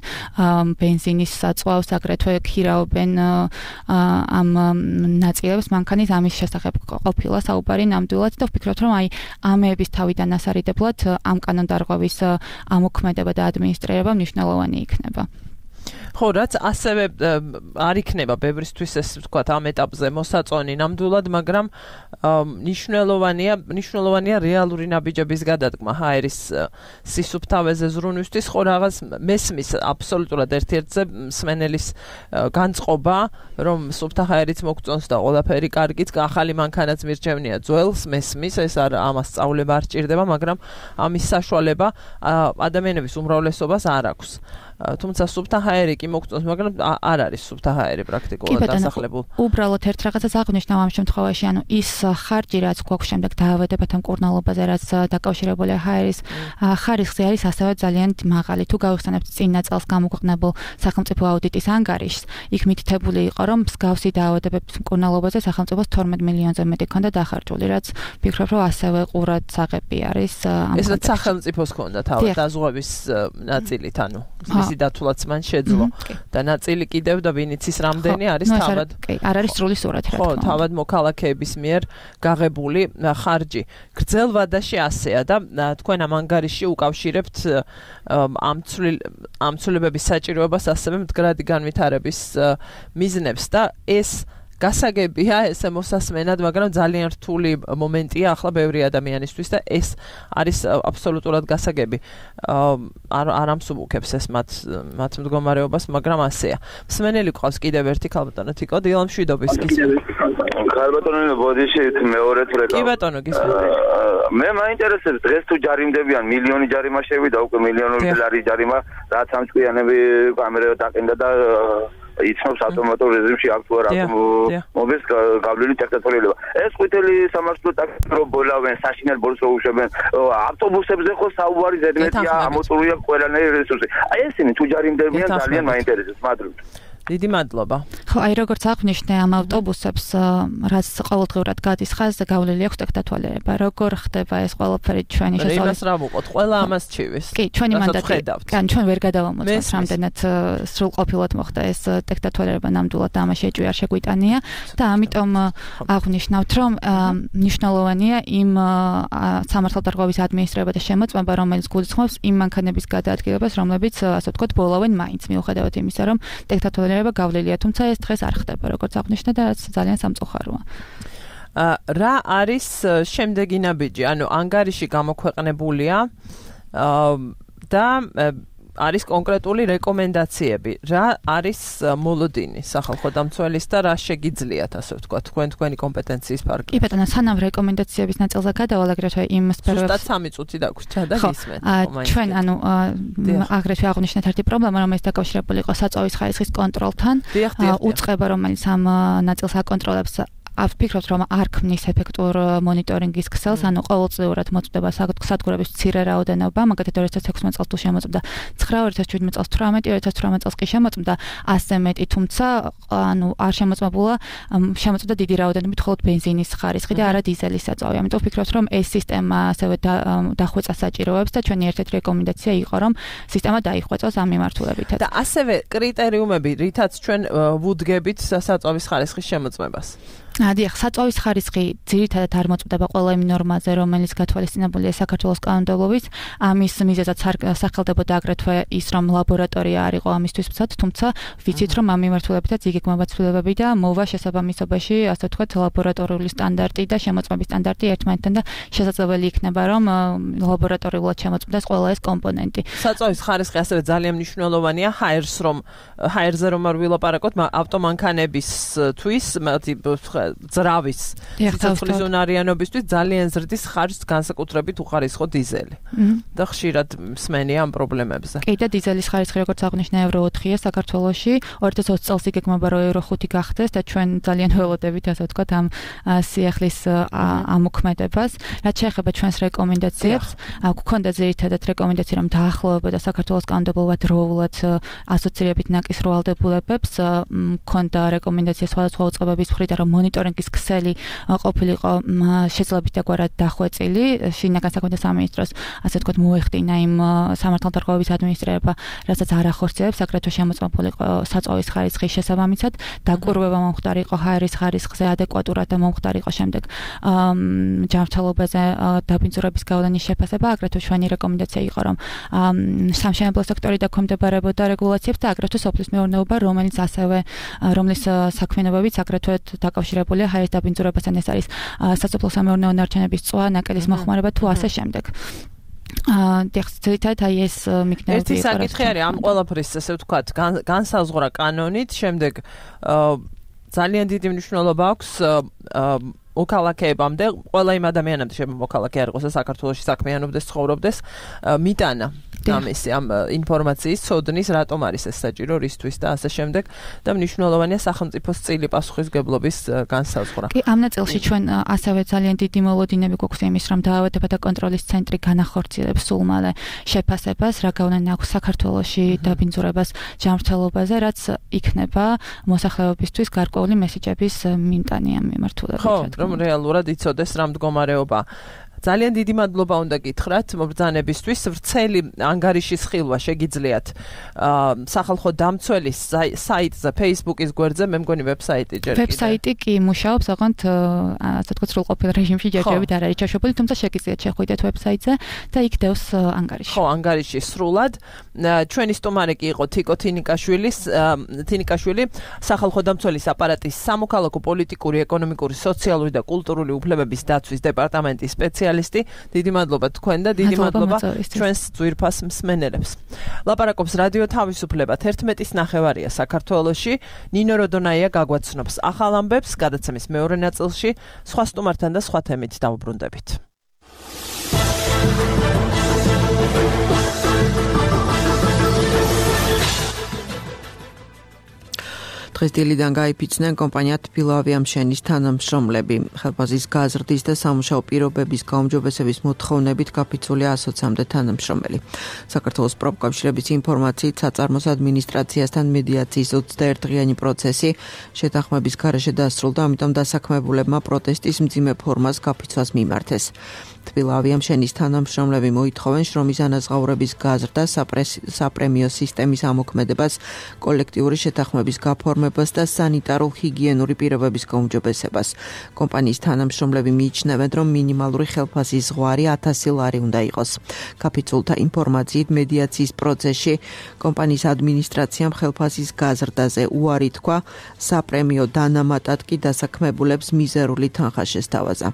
ბენზინის საწვავს, აგრეთვე ქირაობენ ამ ნაწილებს მანქანის ამის შესახებ ყოფილა საუბარი ნამდვილად და ვფიქრობთ, რომ აი ამეების თავიდან ასარიდებლად ამ კანონდარღვევის ამოქმედება და ადმინისტრირება მნიშვნელოვანი იქნება. ხო, რაც ასევე არ იქნება ბევრისთვის ეს ვთქვათ ამ ეტაპზე მოსაწონი ნამდვილად, მაგრამ ნიშნულოვანია რეალური ნაბიჯების გადადგმა ჰაერის სისუფთავეზე ზრუნვისთვის, ხო რაღაც მესმის აბსოლუტურად ერთ-ერთზე მსმენელის განწყობა, რომ სუფთა ჰაერიც მოგწონს და ყველაფერი კარგიც, ახალი მანქანაც მირჩევნია ძველს, მესმის, ეს ამას სწავლება არ სჭირდება, მაგრამ ამის საშუალება ადამიანების უმრავლესობას არ აქვს. თუმცა სუფთა ჰაერი კი მოგწონს, მაგრამ არ არის სუფთა ჰაერი პრაქტიკულად დასახლებულ. უბრალოდ ერთ რაღაცას აღნიშნავ ამ შემთხვევაში, ანუ ის ხარჯი, რაც გვაქვს შემდეგ დაავადებათა მკურნალობაზე, რაც დაკავშირებულია ჰაერის ხარისხზე არის ასევე ძალიან მაღალი. თუ გავიხსენებთ წინა წელს გამოქვეყნებულ სახელმწიფო აუდიტის ანგარიშს, იქ მითითებული იყო, რომ მსგავსი დაავადებების მკურნალობაზე სახელმწიფოს 12 მილიონზე მეტი ქონდა დახარჯული, რაც ვფიქრობ, რომ ასევე ყურადსაღები არის. ეს რაც სახელმწიფოს ქონდა თავად დაზღვევის ნაწილით, ანუ მისი დათვლაც მან შეძლო და ნაწილი კიდევ და ვინიც ის რამდენი არის თავად. არ არის სრული სურათი, რა თქმა უნდა. ხო, თავად მოქალაქეების მიერ გაღებული ხარჯი. გრძელ ვადაში ასეა და თქვენ ამ ანგარიში უკავშირებთ ამ ცვლილებების საჭიროებას ასევე მდგრადი განვითარების მიზნებს და ეს გასაგებია ესე მოსასმენად, მაგრამ ძალიან რთული მომენტია ახლა ბევრი ადამიანისთვის და ეს არის აბსოლუტურად გასაგები. არ ამსუბუქებს ეს მათ მდგომარეობას, მაგრამ ასეა. მსმენელი ყავს კიდევ ერთი ქალბატონო თიკო, დილა მშვიდობის გისმენთ. ქალბატონო ბოდიშით მეორედ ვრეკავ. კი ბატონო გისმენთ. მე მაინტერესებს დღეს თუ ჯარიმდებიან მილიონი ჯარიმა შევიდა უკვე მილიონური დოლარის ჯარიმა, რაც ამ ჭკვიანები კამერა დაყენდა და იცნობს ავტომატურ რეჟიმში აქტუარ მოგეს გავლილი ტექნოლოგიები. ეს ყვითელი სამართლო ტაქტიკრო ბოლავენ, საშინელ ბოლოს რო უშვებენ, ავტობუსებზე ხო საუბარი ზედმეტია, ამოწურვია ყველანაირი რესურსი. აი ესენი თუ ჯარიმდებიან ძალიან მაინტერესებს, მადლობთ. დიდი მადლობა. ხო, აი როგორც აღნიშნე ამ ავტობუსებს, რაც ყოველდღიურად გადის ხაზზე, გავლილი აქვს ტექნოლოგიება. როგორ ხდება ეს ყველაფერი ჩვენი შესაძლებელი? იმას რა ვუყოთ, ყველა ამას ჩივის. კი, ჩვენი მანდატი. ან ჩვენ ვერ გადავამოწმოთ, რამდენად სრულყოფილად მოხდა ეს ტექნოლოგიება ნამდვილად და ამაში ეჭვი არ შეგვიტანია და ამიტომ აღნიშნავთ, რომ მნიშვნელოვანია იმ სამართალდარღვევის ადმინისტრირება და შემოწმება, რომელიც გულისხმობს იმ მანქანების გადაადგილებას, რომლებიც ასე ვთქვათ, ბოლავენ მაინც მიუხედავად იმისა, რომ ტექნოლოგია გავლილია, თუმცა ეს დღეს არ ხდება, როგორც აღნიშნე და რაც ძალიან სამწუხაროა. რა არის შემდეგი ნაბიჯი? ანუ ანგარიში გამოქვეყნებულია და არის კონკრეტული რეკომენდაციები. რა არის მოლოდინი სახალხო დამცველის და რა შეგიძლიათ, ასე ვთქვათ, თქვენი კომპეტენციის ფარგლებში? კი ბატონო, სანამ რეკომენდაციების ნაწილზე გადავალ, აგრეთვე იმ სფეროებს. ზუსტად 3 წუთი დაგვრჩა და გისმენთ. ჩვენ ანუ აგრეთვე აღნიშნეთ ერთი პრობლემა, რომელიც დაკავშირებული იყო საწვავის ხარისხის კონტროლთან. უწყება, რომელიც ამ ნაწილს აკონტროლებს. ვფიქრობთ, რომ არ ქმნის ეფექტურ მონიტორინგის ქსელს, ანუ ყოველწლიურად მოწვდება სადგურების მცირე რაოდენობა, მაგალითად 2016 წელს თუ შემოწმდა 9, 2017 წელს 18, 2018 წელს კი შემოწმდა 100 მეტი, თუმცა ანუ არ შემოწმდა დიდი რაოდენობით მხოლოდ ბენზინის ხარისხი და არა დიზელის საწვავი. ამიტომ ვფიქრობთ, რომ ეს სისტემა ასევე დახვეწა საჭიროებს და ჩვენი ერთ-ერთი რეკომენდაცია იყო, რომ სისტემა დაიხვეწოს ამ მიმართულებით. და ასევე კრიტერიუმები, რითაც ჩვენ ვუდგებით საწვავის ხარისხის შემოწმებას. დიახ, საწვავის ხარისხი ძირითადად არ მოწმდება ყველა იმ ნორმაზე, რომელიც გათვალისწინებულია საქართველოს კანონმდებლობით. ამის მიზეზად სახელდებოდა აგრეთვე ის, რომ ლაბორატორია არ იყო ამისთვის მცდად, თუმცა ვიცით, რომ ამ მიმართულებითაც იგეგმება ცვლილებები და მოვა შესაბამისობაში, ასე ვთქვათ, ლაბორატორიული სტანდარტი და შემოწმების სტანდარტი ერთმანეთთან და შესაძლებელი იქნება, რომ ლაბორატორიულად შემოწმდეს ყველა ეს კომპონენტი. საწვავის ხარისხი ასევე ძალიან მნიშვნელოვანია ჰაერზე რომ არ ვილაპარაკოთ, ავტომანქანებისთვის, ძრავის სიცოცხლის უნარიანობისთვის ძალიან ზრდის ხარჯს განსაკუთრებით უხარისხო დიზელი. და ხშირად მსმენია ამ პრობლემებზე. კი და დიზელის ხარისხი როგორც აღნიშნა ევრო 4-ია საქართველოში, 2020 წელს იგეგმება რომ ევრო 5 გახდეს და ჩვენ ძალიან ველოდებით, ასე ვთქვათ, ამ სიახლის ამოქმედებას. რაც შეეხება ჩვენს რეკომენდაციებს, გვქონდა ძირითადად რეკომენდაცია, რომ დაახლოებოდა საქართველოს კანონმდებლობა დროულად ასოცირებით ნაკის როვალდებულებებს, გვქონდა რეკომენდაცია სხვადასხვა უწყებების მხრიდან, რომ მონიტორინგის ქსელი ყოფილიყო შეძლებით დაგვარად დახვეწილი შინაგან საქმეთა სამინისტროს ასე ვთქვათ მოეხდინა იმ სამართალდარღვევების ადმინისტრირება რასაც არ ახორციელებს აგრეთვე შემოწმებულიყო საწვავის ხარისხის შესაბამისად დაკვირვება მომხდარიყო ჰაერის ხარისხზე ადეკვატურად და მომხდარიყო შემდეგ ჯანმრთელობაზე დაბინძურების გავლენის შეფასება აგრეთვე ჩვენი რეკომენდაცია იყო რომ სამშენებლო სექტორი დაქვემდებარებოდა რეგულაციებს და აგრეთვე სოფლის მეურნეობა რომლის საქმიანობებიც აგრეთვე დაკავშირებულია ჰაერის დაბინძურებასთან ეს არის სასოფლო სამეურნეო ნარჩენების წვა ნაკელის მოხმარება თუ ასე შემდეგ დექსტრიტად აი ეს მიგნები ერთი საკითხი არის ამ ყველაფრის ასე ვთქვათ განსაზღვრა კანონით შემდეგ ძალიან დიდი მნიშვნელობა აქვს მოქალაქეებამდე ყველა იმ ადამიანამდე შემოქალაქე არ იყოს საქართველოში საქმიანობდეს ცხოვრობდეს მიტანა ამისი ამ ინფორმაციის ცოდნის რატომ არის ეს საჭირო რისთვის და ასე შემდეგ და მნიშვნელოვანია სახელმწიფოს წილი პასუხისგებლობის განსაზღვრა. კი ამ ნაწილში ჩვენ ასევე ძალიან დიდი მოლოდინები გვაქვს იმის რომ დაავადებათა და კონტროლის ცენტრი განახორციელებს სულ მალე შეფასებას რა გავლენა აქვს საქართველოში დაბინძურებას ჯანმრთელობაზე რაც იქნება მოსახლეობისთვის გარკვეული მესიჯების მიმტანი ამ მიმართულებით. ხო, რომ რეალურად იცოდეს რა მდგომარეობა. ძალიან დიდი მადლობა უნდა გითხრათ მობრძანებისთვის ვრცელი ანგარიშის ხილვა შეგიძლიათ სახალხო დამცველის საიტზე Facebook-ის გვერდზე მე მგონი ვებსაიტი ჯერ კიდევ ვებსაიტი კი მუშაობს ოღონდ ასე ვთქვათ სრულყოფილ რეჟიმში ჯერჯერობით არ არის ჩაშვებული თუმცა შეგიძლიათ შეხვიდეთ ვებსაიტზე და იქ დევს ანგარიში ხო ანგარიში სრულად ჩვენი სტუმარი კი იყო თიკო თინიკაშვილი სახალხო დამცველის აპარატის სამოქალაქო პოლიტიკური ეკონომიკური სოციალური და კულტურული უფლებების დაცვის დეპარტამენტის სპეციალისტი დიდი მადლობა თქვენ და დიდი მადლობა ჩვენს ძვირფას მსმენელებს. ლაპარაკობს რადიო თავისუფლება 11:09 საქართველოში ნინო როდონაია გაგვაცნობს ახალ ამბებს გადაცემის მეორე ნაწილში სხვა სტუმართან და სხვა თემით დავუბრუნდებით. დღეს დილიდან გაიფიცნენ კომპანია თბილავიამშენის თანამშრომლები. ხელფასის გაზრდის და სამუშაო პირობების გაუმჯობესების მოთხოვნებით გაფიცულია 120-მდე თანამშრომელი. საქართველოს პროფკავშირების ინფორმაციით საწარმოს ადმინისტრაციასთან მედიაციის 21-დღიანი პროცესი შეთანხმების გარეშე დასრულდა, ამიტომ დასაქმებულებმა პროტესტის მძიმე ფორმას გაფიცვას მიმართეს. თბილავიამშენის თანამშრომლები მოითხოვენ შრომის ანაზღაურების გაზრდა, საპრემიო სისტემის ამოქმედებას, კოლექტიური შეთანხმების გაფორმებას და სანიტარო-ჰიგიენური პირობების გაუმჯობესებას. კომპანიის თანამშრომლები მიიჩნევენ, რომ მინიმალური ხელფასის ზღვარი 1000 ლარი უნდა იყოს. გაფიცულთა ინფორმაციით მედიაციის პროცესში კომპანიის ადმინისტრაციამ ხელფასის გაზრდაზე უარი თქვა, საპრემიო დანამატად კი დასაქმებულებს მიზერული თანხა შესთავაზა.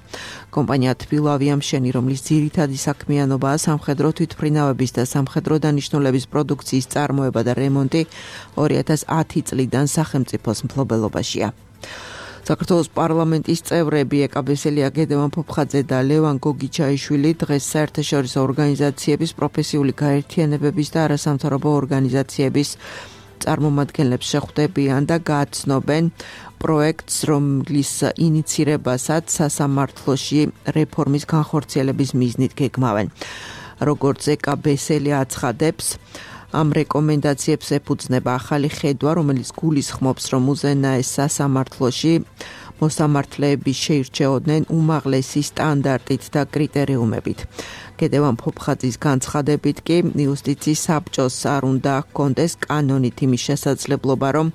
კომპანია თბილავიამშენი, რომლის ძირითადი საქმიანობაა სამხედრო თვითმფრინავების და სამხედრო დანიშნულების პროდუქციის წარმოება და რემონტი 2010 წლიდან სახელმწიფოს მფლობელობაშია. საქართველოს პარლამენტის წევრები ეკაბესელია გედევან ფოფხაძე და ლევან გოგიჩაიშვილი დღეს საერთაშორისო ორგანიზაციების პროფესიული გაერთიანებების და არასამთავრობო ორგანიზაციების წარმომადგენლებს შეხვდებიან და გააცნობენ პროექტს, რომლის ინიცირებასაც სასამართლოში რეფორმის განხორციელების მიზნით გეგმავენ. როგორც ეკაბესელი აცხადებს, ამ რეკომენდაციებს ეფუძნება ახალი ხედვა, რომელიც გულისხმობს, რომ უზენაეს სასამართლოში მოსამართლეები შეირჩეოდნენ უმაღლესი სტანდარტით და კრიტერიუმებით. გედევან ფოფხაძის განცხადებით კი იუსტიციის საბჭოს არ უნდა ჰქონდეს კანონით იმის შესაძლებლობა, რომ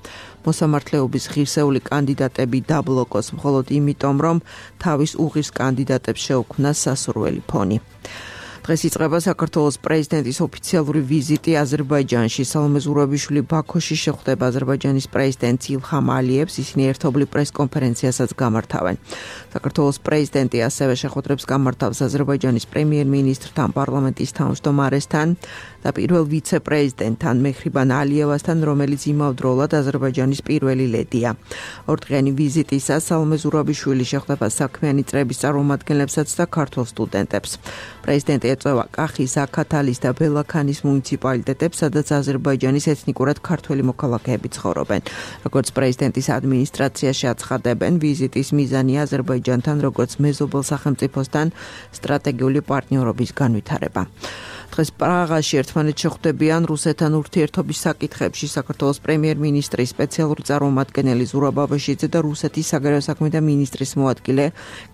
მოსამართლეობის ღირსეული კანდიდატები დაბლოკოს მხოლოდ იმიტომ, რომ თავის უღირს კანდიდატებს შეუქმნას სასურველი ფონი. დღეს იწყება საქართველოს პრეზიდენტის ოფიციალური ვიზიტი აზერბაიჯანში. სალომე ზურაბიშვილი ბაქოში შეხვდება აზერბაიჯანის პრეზიდენტს ილჰამ ალიევს, ისინი ერთობლივ პრესკონფერენციასაც გამართავენ. საქართველოს პრეზიდენტი ასევე შეხვედრებს გამართავს აზერბაიჯანის პრემიერ-მინისტრთან, პარლამენტის თავმჯდომარესთან და პირველ ვიცე-პრეზიდენტთან მეჰრიბან ალიევასთან, რომელიც იმავდროულად აზერბაიჯანის პირველი ლედია. ორდღიანი ვიზიტისას სალომე ზურაბიშვილი შეხვდება საქმიანი წრეების წარმომადგენლებსაც და ქართველ სტუდენტებს. პრეზიდენტი ეწევა კახის, აქათალის და ბელაქანის მუნიციპალიტეტებს, სადაც აზერბაიჯანის ეთნიკურად ქართველი მოქალაქეები ცხოვრობენ. როგორც პრეზიდენტის ადმინისტრაციაში აცხადებენ, ვიზიტის მიზანია აზერბაიჯანთან როგორც მეზობელ სახელმწიფოსთან სტრატეგიული პარტნიორობის განვითარება. დღეს პრაღაში ერთმანეთს შეხვდებიან რუსეთთან ურთიერთობის საკითხებში საქართველოს პრემიერ-მინისტრის სპეციალური წარმომადგენელი ზურაბ აბაშიძე და რუსეთის საგარეო საქმეთა მინისტრის მოადგილე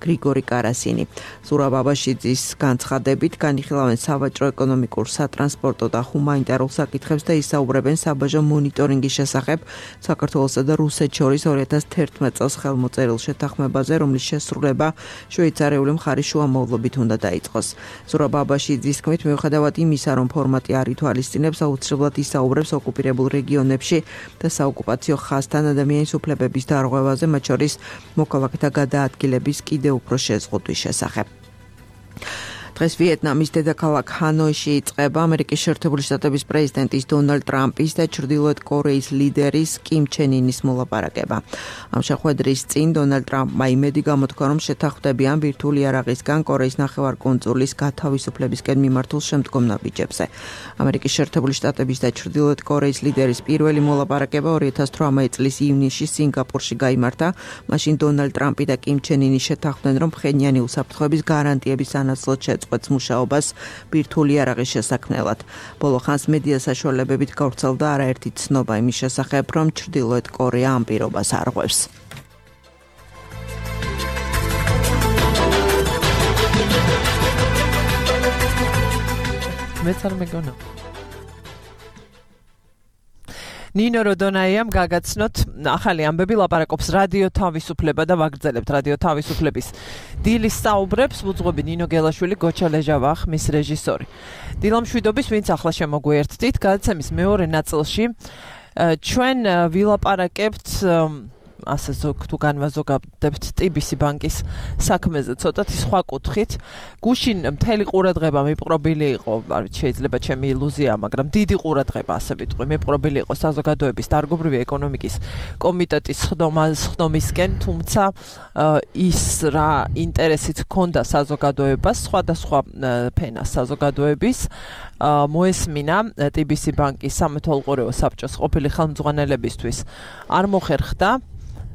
გრიგორი კარასინი. ზურაბ აბაშიძის განცხადებით განიხილავენ სავაჭრო-ეკონომიკურ, სატრანსპორტო და ჰუმანიტარულ საკითხებს და ისაუბრებენ საბაჟო მონიტორინგის შესახებ საქართველოსა და რუსეთს შორის 2011 წელს ხელმოწერილ შეთანხმებაზე, რომლის შესრულება შვეიცარიული მხარის შუამავლობით უნდა დაიწყოს. ზურაბ აბაშიძის თქმით, მიუხედავად იმისა, რომ ფორმატი არ ითვალისწინებს, აუცილებლად ისაუბრებს ოკუპირებულ რეგიონებში და საოკუპაციო ხაზთან ადამიანის უფლებების დარღვევაზე, მათ შორის მოქალაქეთა გადაადგილების კიდევ უფრო შეზღუდვის შესახებ. დღეს ვიეტნამის დედაქალაქ ჰანოიში იწყება ამერიკის შეერთებული შტატების პრეზიდენტის დონალდ ტრამპის და ჩრდილოეთ კორეის ლიდერის კიმ ჩენ ინის მოლაპარაკება. ამ შეხვედრის წინ დონალდ ტრამპმა იმედი გამოთქვა, რომ შეთანხმდებიან ბირთვული იარაღისგან კორეის ნახევარკუნძულის გათავისუფლებისკენ მიმართულ შემდგომ ნაბიჯებზე. ამერიკის შეერთებული შტატების და ჩრდილოეთ კორეის ლიდერის პირველი მოლაპარაკება 2018 წლის ივნისში სინგაპურში გაიმართა. მაშინ დონალდ ტრამპი და კიმ ჩენ ინი შეთანხმდნენ, რომ ფხენიანი უსაფრთხოების გარანტიების სანაცვლოდ შეწყვეტს მუშაობას ბირთვული იარაღის შესაქმნელად. ბოლო ხანს მედია საშუალებებით გავრცელდა არაერთი ცნობა იმის შესახებ, რომ ჩრდილოეთ კორეა ამ პირობას არღვევს. მეც არ მეგონა. ნინო როდონაიამ გაგაცნოთ ახალი ამბები, ლაპარაკობს რადიო თავისუფლება და ვაგრძელებთ რადიო თავისუფლების დილის საუბრებს. ვუძღვები ნინო გელაშვილი, გოჩა ლეჟავა, ხმის რეჟისორი. დილამშვიდობის, ვინც ახლა შემოგვიერთდით, გადაცემის მეორე ნაწილში ჩვენ ვილაპარაკებთ ასე თუ განვაზოგავდებთ TBC ბანკის საქმეზე ცოტათი სხვა კუთხით. გუშინ მთელი ყურადღება მიპყრობილი იყო, არ ვიცი, შეიძლება ჩემი ილუზია, მაგრამ დიდი ყურადღება ასე ვიტყვი, მიპყრობილი იყო საზოგადოების დარგობრივი ეკონომიკის კომიტეტის ხდომისკენ, თუმცა ის რა ინტერესით ჰქონდა საზოგადოებას, სხვადასხვა ფენას საზოგადოების მოესმინა TBC ბანკის სამეთვალყურეო საბჭოს ყოფილი ხელმძღვანელებისთვის არ მოხერხდა.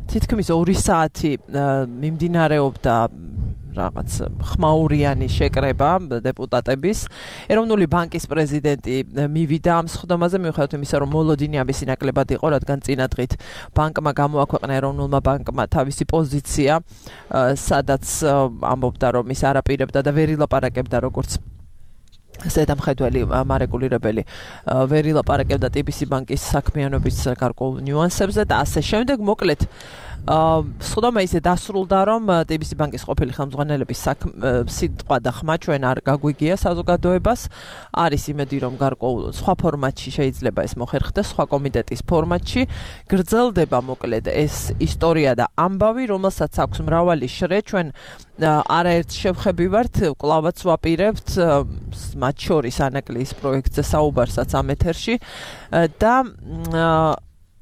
თითქმის 2 საათი მიმდინარეობდა რაღაც ხმაურიანი შეკრება დეპუტატების. ეროვნული ბანკის პრეზიდენტი მივიდა ამ სხდომაზე, მიუხედავად იმისა, რომ მოლოდინი ამის ნაკლებად იყო, რადგან წინა დღით ბანკმა გამოაქვეყნა ეროვნულმა ბანკმა თავისი პოზიცია, სადაც ამბობდა, რომ ის არაპირებდა და ვერ ილაპარაკებდა როგორც ზედამხედველი მარეგულირებელი ვერ ილაპარაკებდა TBC ბანკის საქმიანობის გარკვეულ ნიუანსებზე და ასე შემდეგ. მოკლედ სხდომა ისე დასრულდა, რომ TBC ბანკის ყოფილი ხელმძღვანელების სიტყვა და ხმა ჩვენ არ გაგვიგია საზოგადოებას. არის იმედი, რომ გარკვეულ სხვა ფორმატში შეიძლება ეს მოხერხდეს, სხვა კომიტეტის ფორმატში. გრძელდება მოკლედ ეს ისტორია და ამბავი, რომელსაც აქვს მრავალი შრე. ჩვენ არაერთ შევხები ვართ, კლავაც ვაპირებთ მათ შორის ანაკლის პროექტზე საუბარსაც ამ ეთერში და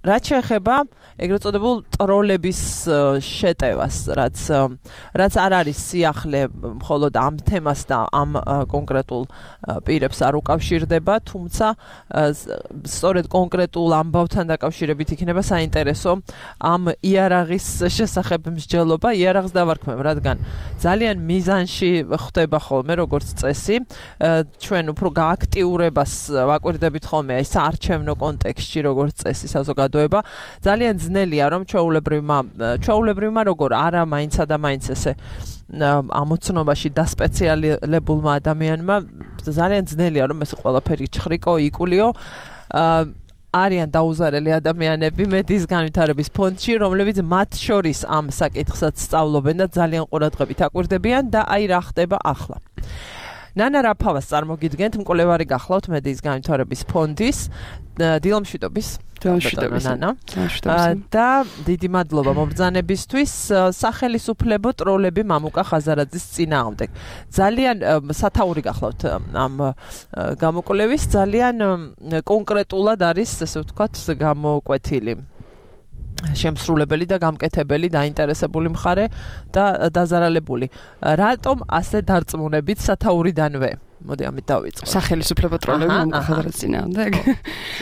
რაც შეეხება ეგრეთ წოდებულ ტროლების შეტევას, რაც არ არის სიახლე მხოლოდ ამ თემას და ამ კონკრეტულ პირებს არ უკავშირდება, თუმცა სწორედ კონკრეტულ ამბავთან დაკავშირებით იქნება საინტერესო ამ იარაღის შესახებ მსჯელობა. იარაღს დავარქმევ, რადგან ძალიან მიზანში ხდება ხოლმე როგორც წესი. ჩვენ უფრო გააქტიურებას ვაკვირდებით ხოლმე აი საარჩევნო კონტექსტში როგორც წესი საზოგადოება. ძალიან ძნელია, რომ ჩვეულებრივმა როგორ არა მაინცა და მაინც ესე ამოცნობაში დასპეციალებულმა ადამიანმა ძალიან ძნელია, რომ ეს ყველაფერი ჩხრიკო, იკულიო. არიან დაუზარელი ადამიანები მედის განვითარების ფონდში, რომლებიც მათ შორის ამ საკითხსაც სწავლობენ და ძალიან ყურადღებით აკვირდებიან და აი რა ხდება ახლა. ნანა რაფავას წარმოგიდგენთ, მკვლევარი გახლავთ მედის განვითარების ფონდის. დილამშვიდობის. და დიდი მადლობა მობრძანებისთვის. სახელისუფლებო ტროლები მამუკა ხაზარაძის წინააღმდეგ. ძალიან სათაური გახლავთ ამ გამოკვლევის, ძალიან კონკრეტულად არის, ასე ვთქვათ, გამოკვეთილი შემსრულებელი და გამკეთებელი, დაინტერესებული მხარე და დაზარალებული. რატომ ასე დარწმუნებით სათაურიდანვე? მოდი ამით დავიწყო. სახელისუფლებო ტროლები მამუკა ხაზარაძის წინააღმდეგ.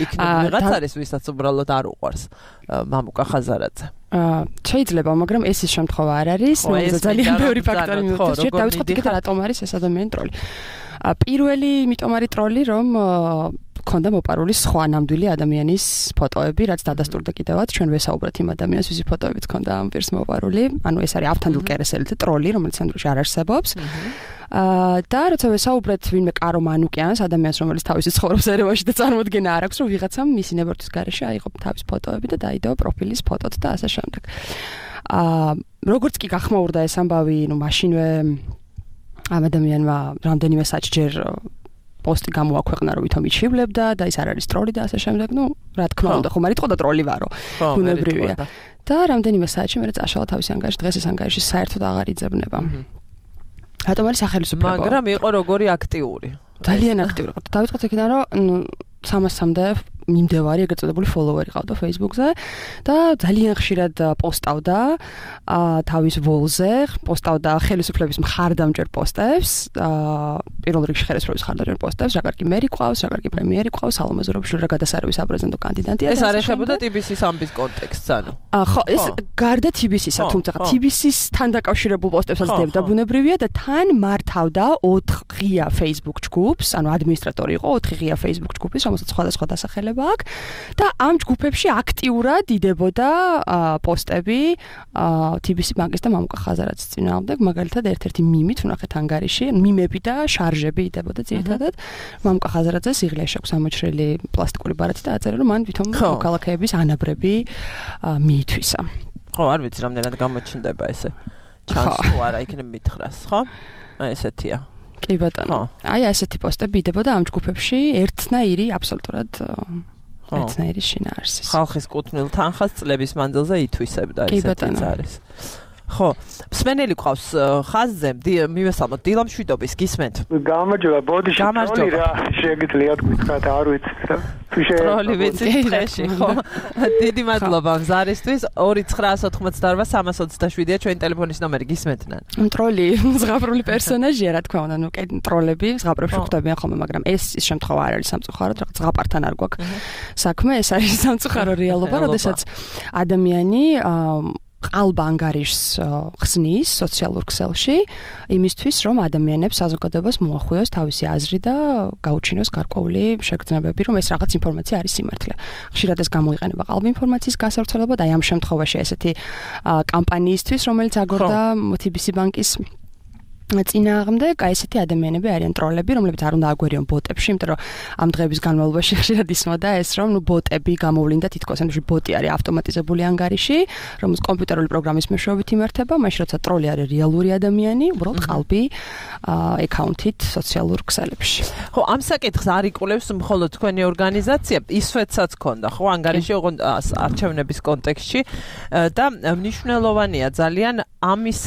იქნება ვიღაც არის, ვისაც უბრალოდ არ უყვარს მამუკა ხაზარაძე. შეიძლება, მაგრამ ეს ის შემთხვევა არ არის. ძალიან ბევრი ფაქტორი მივხვდეთ. დავიწყოთ იქით რატომ არის ეს ადამიანი ტროლი. პირველი იმიტომ არის ტროლი, რომ ქონდა მოპარული სხვა ნამდვილი ადამიანის ფოტოები, რაც დადასტურდა კიდევაც ჩვენ ვესაუბრეთ იმ ადამიანის, ვისი ფოტოებიც ქონდა ამ პირს მოპარული. ანუ ეს არის ავთანდილ კერესელი ტროლი, რომელიც ამდროინდ არ არსებობს. და როცა ვესაუბრეთ ვინმე კარო მანუკიანს, ადამიანს, რომელიც თავისი ცხოვრობს ერევანში და წარმოდგენა არ აქვს, რომ ვიღაცამ მისი ნებართვის გარეშე აიღო თავის ფოტოები და დაიდო პროფილის ფოტოთ და ასე შემდეგ. როგორც კი გახმაურდა ეს ამბავი, მაშინვე ამ ადამიანმა რამდენიმე საჭჯერ პოსტი გამოაქვეყნა, რომ ვითომ იჩივლებდა და ის არ არის ტროლი და ასე შემდეგ. რა თქმა უნდა, ხომ არ იტყოდა ტროლი ვარო. ბუნებრივია. და რამდენიმე საათში მე წაშალა თავის ანგარიში, დღეს ეს ანგარიში საერთოდ აღარ იძებნება. რატომ არის სახელმწიფო? მაგრამ იყო როგორი აქტიური. ძალიან აქტიური. დავიწყოთ იქიდან, რომ 300-მდე მიმდევარი ეგრეთ წოდებული ფოლოვერი ყავდა Facebook-ზე და ძალიან ხშირად პოსტავდა თავის ვოლზე, პოსტავდა ხელისუფლების მხარდამჭერ პოსტებს, პირველ რიგში ხელისუფლების მხარდამჭერ პოსტებს, რა კარგი მერი ყავს, რა კარგი პრემიერი ყავს, სალომე ზურაბიშვილი რა გადასარევი საპრეზიდენტო კანდიდატია. ეს არ ეხებოდა TBC-ის ამბის კონტექსტს, ანუ. ხო, ეს გარდა TBC-ისა, თუმცა TBC-სთან დაკავშირებულ პოსტებსაც დებდა ბუნებრივია და თან მართავდა 4 ღია Facebook ჯგუფს, ანუ ადმინისტრატორი იყო 4 ღია Facebook ჯგუფის, რომელსაც სხვადასხვა დასახელება აქვს და ამ ჯგუფებში აქტიურად იდებოდა პოსტები TBC ბანკის და მამუკა ხაზარაძის წინააღმდეგ, მაგალითად ერთ-ერთი მიმით ვნახეთ ანგარიში, მიმები და შარჟები იდებოდა ძირითადად. მამუკა ხაზარაძეს იღლიაში აქვს ამოჭრილი პლასტიკური ბარათი და აწერა, რომ მან თვითონ მოქალაქეების ანაბრები მიითვისა. ხო, არ ვიცი რამდენად გამოჩნდება ესე. ჩანს თუ არა იქნებ მითხრას, ხო? ესეთია. კი ბატონო. აი ასეთი პოსტები იდებოდა ამ ჯგუფებში ერთნაირი აბსოლუტურად ერთნაირი შინაარსის. ხალხის კუთვნილ თანხას წლების მანძილზე ითვისებდა ესეთი არის. ხო, მსმენელი ყავს ხაზზე, მივესალმოთ დილა მშვიდობის, გისმენთ. გამარჯობა, ბოდიში ტროლი რა შეგიძლიათ გითხრათ, არ ვიცი. ტროლი ვიცი დღეში, ხო? დიდი მადლობა მზარისთვის. 2988327-ია ჩვენი ტელეფონის ნომერი, გისმენთ. ტროლი ზღაპრული პერსონაჟია, რა თქმა უნდა, ტროლები ზღაპრებში ხვდებიან ხოლმე, მაგრამ ეს შემთხვევა არ არის სამწუხაროდ, რაღაც ზღაპართან არ გვაქვს საქმე, ეს არის სამწუხარო რეალობა, როდესაც ადამიანი ყალბ ანგარიშს ხსნის სოციალურ ქსელში იმისთვის, რომ ადამიანებს საზოგადოებას მოახვიოს თავისი აზრი და გაუჩინოს გარკვეული შეგრძნებები, რომ ეს რაღაც ინფორმაცია არის სიმართლე. ხშირად ეს გამოიყენება ყალბ ინფორმაციის გასავრცელებად, აი ამ შემთხვევაში ესეთი კამპანიისთვის, რომელიც აგორდა TBC ბანკის წინააღმდეგ, აი ესეთი ადამიანები არიან ტროლები, რომლებიც არ უნდა აგვერიონ ბოტებში, იმიტომ რომ ამ დღეების განმავლობაში ხშირად ისმოდა ეს, რომ ბოტები გამოვლინდა თითქოს, ანუ ბოტი არის ავტომატიზებული ანგარიში, რომელიც კომპიუტერული პროგრამის მეშვეობით იმართება, მაშინ როცა ტროლი არის რეალური ადამიანი, უბრალოდ ყალბი აკაუნთით სოციალურ ქსელებში. ხო, ამ საკითხს არ იკვლევს მხოლოდ თქვენი ორგანიზაცია, ისვეთსაც ქონდა, ხო, ანგარიში არჩევნების კონტექსტში და მნიშვნელოვანია ძალიან ამის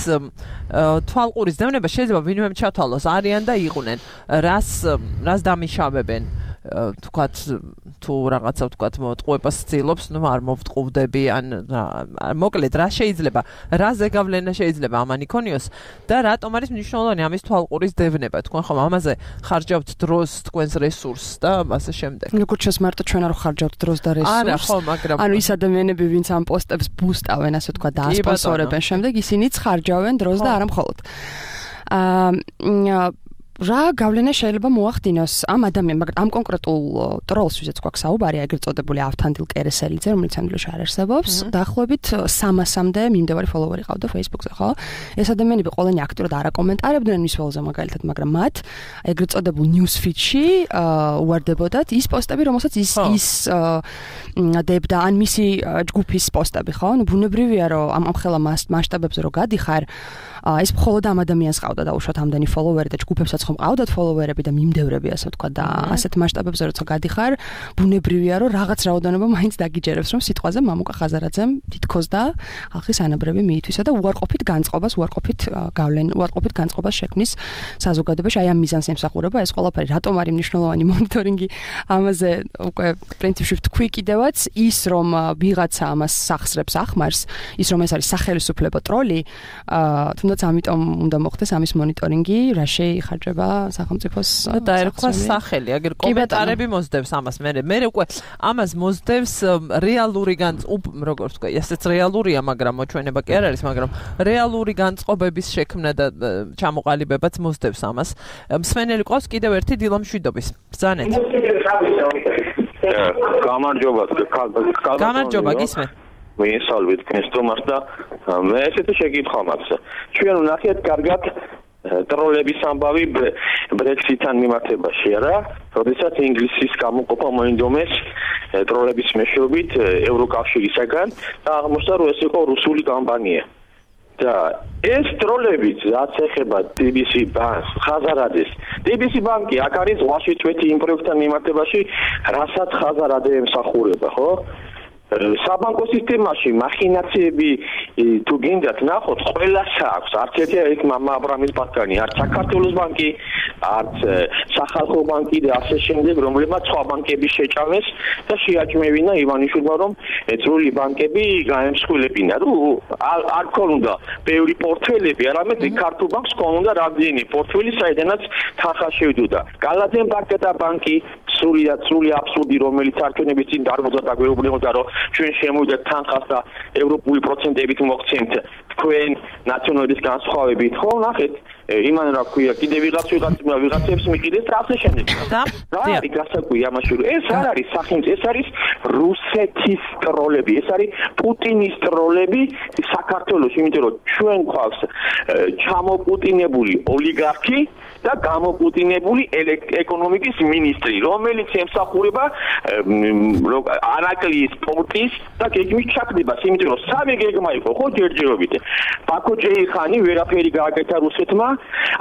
თვალყურის დევნება შეიძლება ვინმე ჩათვალოს არიან და იყვნენ რას დამიშავებენ თქვათ თუ რაღაცა თქვათ მოტყუებას ცდილობს, არ მოვტყუვდები ან მოკლედ რა შეიძლება რა ზეგავლენა შეიძლება ამან იქონიოს და რატომ არის მნიშვნელოვანი ამის თვალყურის დევნება, თქვენ ხომ ამაზე ხარჯავთ დროს, თქვენს რესურსს და ასე შემდეგ. როგორც ჩანს მარტო ჩვენ არ ხარჯავთ დროს და რესურსს. არა, ხო, მაგრამ ანუ ის ადამიანები, ვინც ამ პოსტებს ბუსტავენ, ასე თქვა და ასპონსორებენ შემდეგ, ისინიც ხარჯავენ დროს და არა მხოლოდ. რა გავლენა შეიძლება მოახდინოს ამ ადამიანს, მაგრამ ამ კონკრეტულ ტროლს, ვისაც გვაქვს საუბარი, ეგრეთ წოდებული ავთანდილ კერესელიძე, რომელიც ამდენში არ არსებობს, დაახლოებით 300-მდე მიმდევარი ფოლოვერი ყავდა Facebook-ზე, ხო? ეს ადამიანები ყველანი აქტიურად არ აკომენტარებდნენ მის ველზე მაგალითად, მაგრამ მათ ეგრეთ წოდებულ news feed-ში უვარდებოდათ ის პოსტები, რომელსაც ის დებდა, ან მისი ჯგუფის პოსტები, ხო? ნუ ბუნებრივია, რომ ამ ხელა მასშტაბებზე რო გადიხარ, ეს მხოლოდ ამ ადამიანს ყავდა დაუშვათ ამდენი ფოლოვერი და ჯგუფებსაც ხომ ყავდათ ფოლოვერები და მიმდევრები, ასე ვთქვა და ასეთ მასშტაბებზე როცა გადიხარ, ბუნებრივია, რომ რაღაც რაოდენობა მაინც დაგიჯერებს, რომ სიტყვაზე მამუკა ხაზარაძემ თითქოს და ხალხის ანაბრები მიითვისა და უარყოფით განწყობას შექმნის საზოგადოებაში, აი ამ მიზანს ემსახურება ეს ყველაფერი. რატომ არის მნიშვნელოვანი მონიტორინგი ამაზე უკვე პრინციპში ვთქვი კიდევაც ის, რომ ვიღაცა ამას სახსრებს ახმარს, ის რომ ეს არის სახელისუფლებო ტროლი, თუნდაც თუნდაც ამიტომ უნდა მოხდეს ამის მონიტორინგი, რა შეიხარჯება სახელმწიფოს დაერქვა სახელი, აგერ კომენტარები მოსდევს ამას, მე უკვე ამას მოსდევს რეალური როგორც ვთქვა, ესეც რეალურია, მაგრამ მოჩვენება კი არ არის, მაგრამ რეალური განწყობების შექმნა და ჩამოყალიბებაც მოსდევს ამას. მსმენელი ყავს კიდევ ერთი დილამშვიდობის. ბრძანეთ. გამარჯობა, გისმენთ. მიესალმებით ქრისტომას და მე ესეთი შეკითხვა მაქვს. ჩვენ ვნახეთ კარგად ტროლების ამბავი ბრექსიტთან მიმართებაში, არა? როდესაც ინგლისის გამოყოფა მოინდომეს ტროლების მეშვეობით ევროკავშირისაგან და აღმოჩნდა, რომ ეს იყო რუსული კომპანია. და ეს ტროლებიც რაც ეხება DBC ბანკს, ხაზარადეს. DBC ბანკი აქ არის ზღვაში წვეთი იმ პროექტთან მიმართებაში, რასაც ხაზარადე ემსახურება, ხო? საბანკო სისტემაში მახინაციები თუ გინდათ ნახოთ, ყველას აქვს. არც ერთი არის მამა აბრამის ბანკანი, არც საქართველოს ბანკი, არც სახალხო ბანკი და ასე შემდეგ, რომლებმაც სხვა ბანკები შეჭამეს და შეაჭმევინა ივანიშვილმა, რომ ეწრული ბანკები გაემსხვილებინა. არ ქონდა ბევრი პორტფელები, არამედ ქართულ ბანკს ქონდა რამდენი პორტფელი, საიდანაც თანხა შევიდოდა. გალადენ ბანკი და ბანკი სრული აბსურდი, რომელიც არჩევნების წინ დარბაზა და გვეუბნებოდა, რომ ჩვენ შემოვიდეთ თანხას და ევროპული პროცენტებით მოგცემთ თქვენ ნაციონალების განსხვავებით, ხო, ნახეთ, იმან რა ქვია, კიდე ვიღაცებს მიყიდეს და ასე შემდეგ. რა არის გასაკვირი ამაში, რომ ეს არ არის სახელმწიფო, ეს არის რუსეთის ტროლები, ეს არის პუტინის ტროლები საქართველოში, იმიტომ რომ ჩვენ გვყავს ჩამოპუტინებული ოლიგარქი და გამოპუტინებული ეკონომიკის მინისტრი, რომელიც ემსახურება ანაკლიის პორტის და გეგმის ჩაქმებას, იმიტომ რომ სამი გეგმა იყო, ხო, ჯერჯერობით. ბაქო ჭეიხანი ვერაფერი გააკეთა რუსეთმა,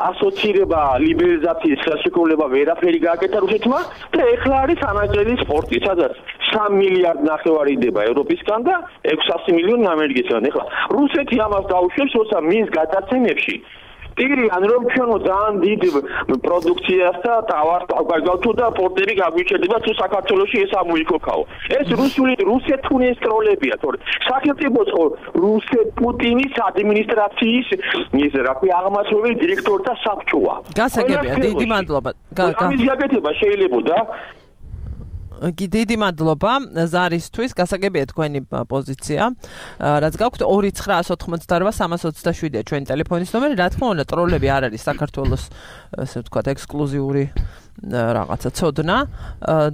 ასოცირება ლიბერალიზაციის ხელშეკრულება ვერაფერი გააკეთა რუსეთმა და ეხლა არის ანაკლიის პორტი, სადაც 3 მილიარდ ნახევარი იდება ევროპისგან და 600 მილიონი ამერიკისგან. ეხლა რუსეთი ამას დაუშვებს, როცა მის გადაცემებში ტიგრიან რომ ჩვენო ძალიან დიდ პროდუქციას და ტავარს გავგავთო და პორტები გაგვიჩერდება თუ საქართველოში ეს ამოიქოქაო. ეს რუსეთის ტროლებია, თორე სახელმწიფოს პუტინის ადმინისტრაციის ის რა ქვია აღმასრულებელი დირექტორთა საბჭოა. გასაგებია, დიდი მადლობა. ამის გაკეთება შეიძლებოდა დიდი მადლობა ზარისთვის, გასაგებია თქვენი პოზიცია. რაც გაქვთ 2998327-ია ჩვენი ტელეფონის ნომერი. რა თქმა უნდა, ტროლები არ არის საქართველოს, ესე ვთქვათ, ექსკლუზიური რაღაცა ცოდნა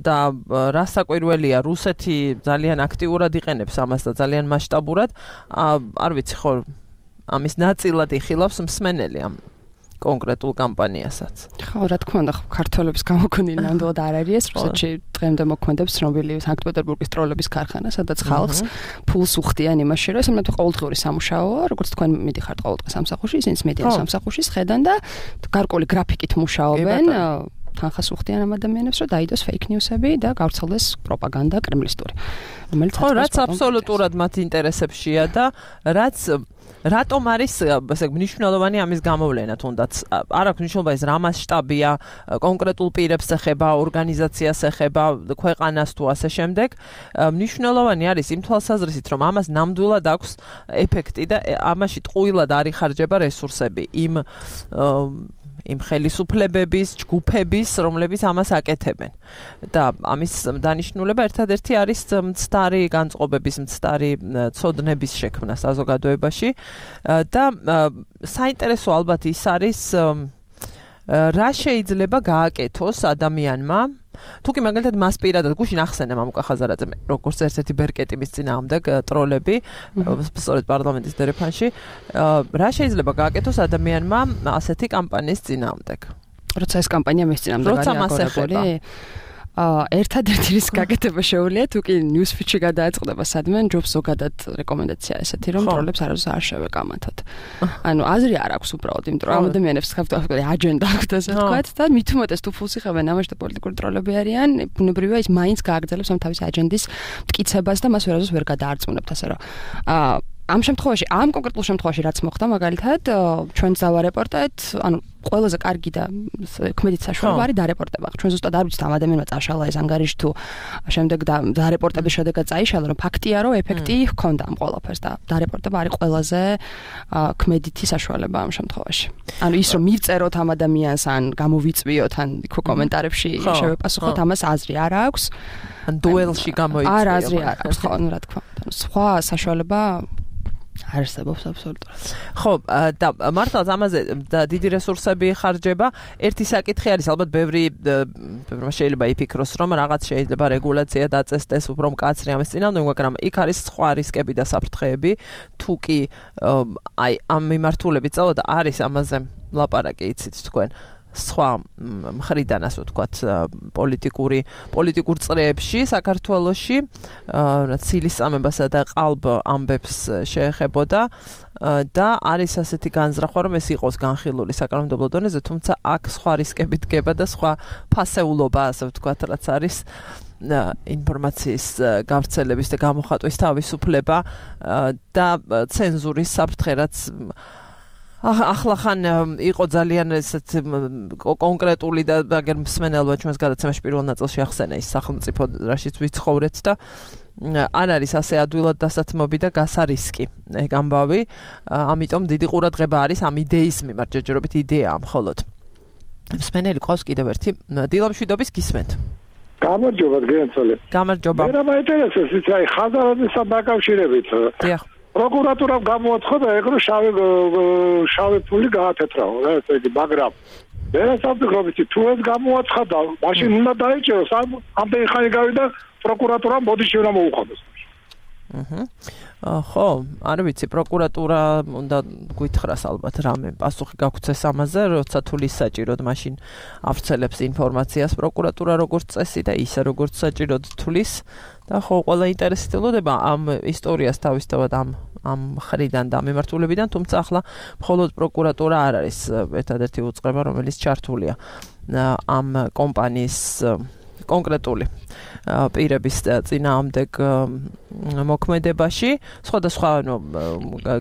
და რა საკვირველია, რუსეთი ძალიან აქტიურად იყენებს ამას და ძალიან მასშტაბურად. არ ვიცი ხო, ამის ნაწილად იხილავს მსმენელი ამ კონკრეტულ კამპანიასაც. ხო, რა თქმა უნდა, ქართველების გამოგონილი ნამდვილად არ არის ეს, რუსეთში დღემდე მოქმედებს ცნობილი სანქტ-პეტერბურგის ტროლების ქარხანა, სადაც ხალხს ფულს უხდიან იმაში, რომ ეს მეთქე ყოველდღიური სამუშაოა, როგორც თქვენ მიდიხართ ყოველდღე სამსახურში, ისინიც მედიან სამსახურში, ხედან და გარკვეული გრაფიკით მუშაობენ. თანხას უხდიან ამ ადამიანებს, რომ დაიდოს fake news-ები და გავრცელდეს პროპაგანდა კრემლისტური. რომელიც რაც აბსოლუტურად მათ ინტერესებშია და რაც რატომ არის ესე მნიშვნელოვანი ამის გამოვლენა თუნდაც არ აქვს მნიშვნელობა ეს რა მასშტაბია კონკრეტულ პირებს ეხება ორგანიზაციას ეხება ქვეყანას თუ ასე შემდეგ მნიშვნელოვანი არის იმ თვალსაზრისით რომ ამას ნამდვილად აქვს ეფექტი და ამაში ტყუილად არ იხარჯება რესურსები იმ ხელისუფლებების, ჯგუფების, რომლებიც ამას აკეთებენ. და ამის დანიშნულება ერთადერთი არის მცდარი განწყობების, მცდარი ცოდნების შექმნა საზოგადოებაში და საინტერესო ალბათ ის არის რა შეიძლება გააკეთოს ადამიანმა თუკი მაგალითად მას პირადად გუშინ ახსენე მამუკა ხაზარაძემ როგორც ერთ-ერთი ბერკეტი მის წინააღმდეგ ტროლები სწორედ პარლამენტის დერეფანში რა შეიძლება გააკეთოს ადამიანმა ასეთი კამპანიის წინააღმდეგ როცა ეს კამპანია მის წინააღმდეგ არის აგორებული ერთადერთი რის გაკეთება შეუძლია თუკი ნიუსფიჩი გადააწყდება სადმე ჯობს ზოგადად რეკომენდაცია ესეთი რომ ტროლებს არასდროს არ შევეკამათოთ ანუ აზრი არ აქვს უბრალოდ იმიტომ რომ ადამიანებს ხავთ აჯენდა აქვს ასე ვთქვათ და მით უმეტეს თუ ფულს იხებენ ამაში და პოლიტიკური ტროლები არიან ბუნებრივია ის მაინც გააგრძელებს ამ თავის აჯენდის მტკიცებას და მას ვერასდროს ვერ გადაარწმუნებთ ასე რომ ამ შემთხვევაში, ამ კონკრეტულ შემთხვევაში რაც მოხდა, მაგალითად, ჩვენ დავარეპორტეთ, ანუ ყველაზე კარგი და ქმედით საშუალება არის დარეპორტება. ჩვენ ზუსტად არ ვიცით ამ ადამიანმა წაშალა ეს ანგარიში თუ შემდეგ დარეპორტების შედეგად წაიშალა, რომ ფაქტია, რომ ეფექტი ჰქონდა ამ ყველაფერს და დარეპორტება არის ყველაზე ქმედითი საშუალება ამ შემთხვევაში. ანუ ის რომ მივწეროთ ამ ადამიანს ან გამოვიწვიოთ ან იქ კომენტარებში შევეპასუხოთ, ამას აზრი არ აქვს. ან დუელში გამოიწვიოთ. არ აზრი არ აქვს, ხო, ანუ რა თქმა უნდა. სხვა საშუალება არსებობს აბსოლუტურად. ხო, და მართლაც ამაზე დიდი რესურსები ხარჯება. ერთი საკითხი არის, ალბათ ბევრი შეიძლება იფიქროს, რომ რაღაც შეიძლება რეგულაცია დაწესდეს უფრო მკაცრი ამის წინააღმდეგ, მაგრამ იქ არის სხვა რისკები და საფრთხეები. თუ კი აი ამ მიმართულებით წავედა, არის ამაზე ლაპარაკი, იცით თქვენ. სხვა მხრიდან ასე ვთქვათ პოლიტიკურ წრეებში საქართველოში ცილისწამებასა და ყალბ ამბებს შეეხებოდა და არის ასეთი განზრახვა რომ ეს იყოს განხილული საკანონმდებლო დონეზე, თუმცა აქ სხვა რისკები დგება და სხვა ფასეულობა ასე ვთქვათ რაც არის ინფორმაციის გავრცელების და გამოხატვის თავისუფლება და ცენზურის საფრთხე რაც ახლა იყო ძალიან ესეთ კონკრეტული და აგერ მსმენელმა ჩვენს გადაცემაში პირველ ნაწილში ახსენა ის სახელმწიფო რაშიც ვიცხოვრეთ და არ არის ასე ადვილად დასათმობი და გასარისკი ეგ ამბავი, ამიტომ დიდი ყურადღება არის ამ იდეის მიმართ, ჯერჯერობით იდეაა მხოლოდ. მსმენელი ყავს კიდევ ერთი დილამშვიდობის გისმენთ. გამარჯობა გენცოლე. გამარჯობა. მე რა მაინტერესებს ის აი ხაზარადესთან დაკავშირებით. დიახ. პროკურატურამ გამოაცხადა ეგ რომ შავი ფული გაათეთრაო რა ესე იგი, მაგრამ მე საერთოდ ვიცი თუ ეს გამოაცხადა, მაშინ უნდა დაიჭეროს ამდენი ხანი გავიდა პროკურატურამ ბოდიში უნდა მოუხადოს. ხო, არ ვიცი, პროკურატურა უნდა გვითხრას ალბათ რამე პასუხი გაგვცეს ამაზე, როცა თulis საჭიროდ მაშინ ავრცელებს ინფორმაციას პროკურატურა როგორც წესი და ისე როგორც საჭიროდ თulis და ხო ყველა ინტერესდება ამ ისტორიას თავისთავად ამ ხრიდან და მიმართულებიდან, თუმცა ახლა მხოლოდ პროკურატურა არ არის ერთადერთი უწყება, რომელიც ჩართულია ამ კომპანიის კონკრეტული პირების წინააღმდეგ მოქმედებაში, სხვადასხვა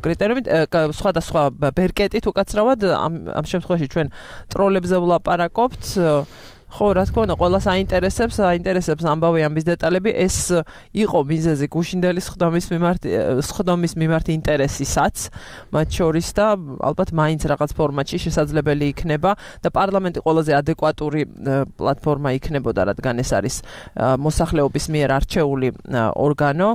კრიტერიუმით, სხვადასხვა ბერკეტით უკაცრავად ამ შემთხვევაში ჩვენ ტროლებზე ვლაპარაკობთ. ხო, რა თქმა უნდა, ყველას აინტერესებს ამბავი ამის დეტალები, ეს იყო მიზეზი გუშინდელი სხდომის მიმართ ინტერესისაც, მათ შორის და ალბათ მაინც რაღაც ფორმატში შესაძლებელი იქნება და პარლამენტი ყველაზე ადეკვატური პლატფორმა იქნებოდა, რადგან ეს არის მოსახლეობის მიერ არჩეული ორგანო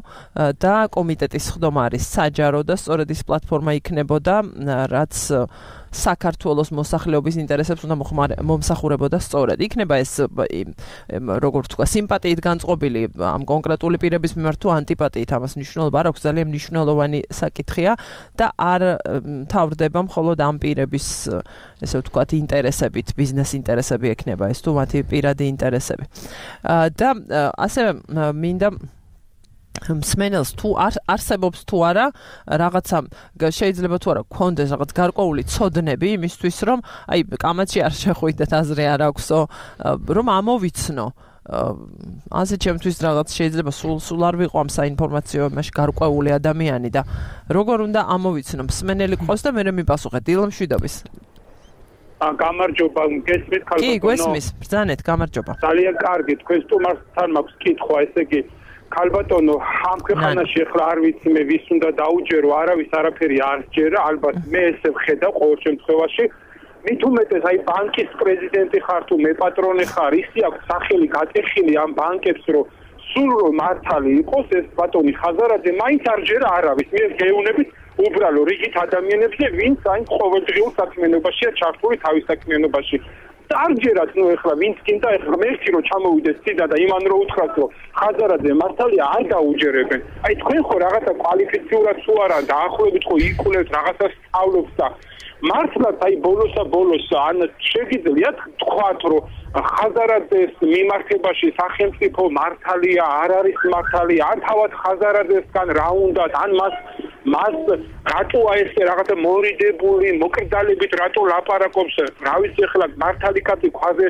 და კომიტეტის სხდომა არის საჯარო და სწორედ ის პლატფორმა იქნებოდა, რაც საქართველოს მოსახლეობის ინტერესებს უნდა მომსახურებოდა სწორედ. იქნება ეს როგორც თქვა სიმპათიით განწყობილი ამ კონკრეტული პირების მიმართ თუ ანტიპათიით, ამას მნიშვნელობა არ აქვს, ძალიან მნიშვნელოვანი საკითხია და არ თავდება მხოლოდ ამ პირების ესე ვთქვათ ინტერესებით, ბიზნეს ინტერესები ექნება ეს თუ მათი პირადი ინტერესები. და ასევე მინდა მსმენელს თუ არსებობს თუ არა რაღაცა შეიძლება თუ არა გქონდეს რაღაც გარკვეული ცოდნები იმისთვის რომ აი კამათში არ შეხვიდეთ აზრი არ აქვსო რომ ამოვიცნო ასე ჩემთვის რაღაც შეიძლება სულ არ ვიყო ამ საინფორმაციო იმაში გარკვეული ადამიანი და როგორ უნდა ამოვიცნო მსმენელი ყავს და მე მიპასუხეთ დილამშვიდობის გამარჯობა გესმით ქალბატონო კი გესმის ბრძანეთ გამარჯობა ძალიან კარგი თქვენ სტუმართან მაქვს კითხვა ესე იგი ქალბატონო ამ ქვეყანაში ახლა არ ვიცი მე ვის უნდა დაუჯერო არავის არაფერი არ სჯერა ალბათ მე ესე ვხედავ ყოველ შემთხვევაში მით უმეტეს აი ბანკის პრეზიდენტი ხარ თუ მე პატრონი ხარ ისი აქვს სახელი გატეხილი ამ ბანკებს რომ სულ რომ მართალი იყოს ეს ბატონი ხაზარაძე მაინც არ სჯერა არავის მე გეუნებით უბრალო რიგით ადამიანებზე ვინც აი ყოველდღიურ საქმიანობაშია ჩართული თავის საქმიანობაში არჯერად ნუ ეხლა ვინც კიდე ეხლა მერჩი რომ ჩამოვიდეს ციდა და იმან რო უთხრათ რომ ხაზარაძე მართალია არ დაუჯერებენ აი თქვენ ხო რაღაცა კვალიფიციურად თუ არა დაახლოებით ხო იკვლევთ რაღაცას სწავლობთ და მართლაც აი ბოლოს ან შეგიძლიათ თქვათ რომ ხაზარაძეს მიმართებაში სახელმწიფო მართალია არ არის მართალი ან თავად ხაზარაძესგან რა უნდათ ან მას რატოა ეს რაღაცა მორიდებული მოკრძალებით რატო ლაპარაკობს რა ვიცი ახლა მართალი კაცი ქვაზე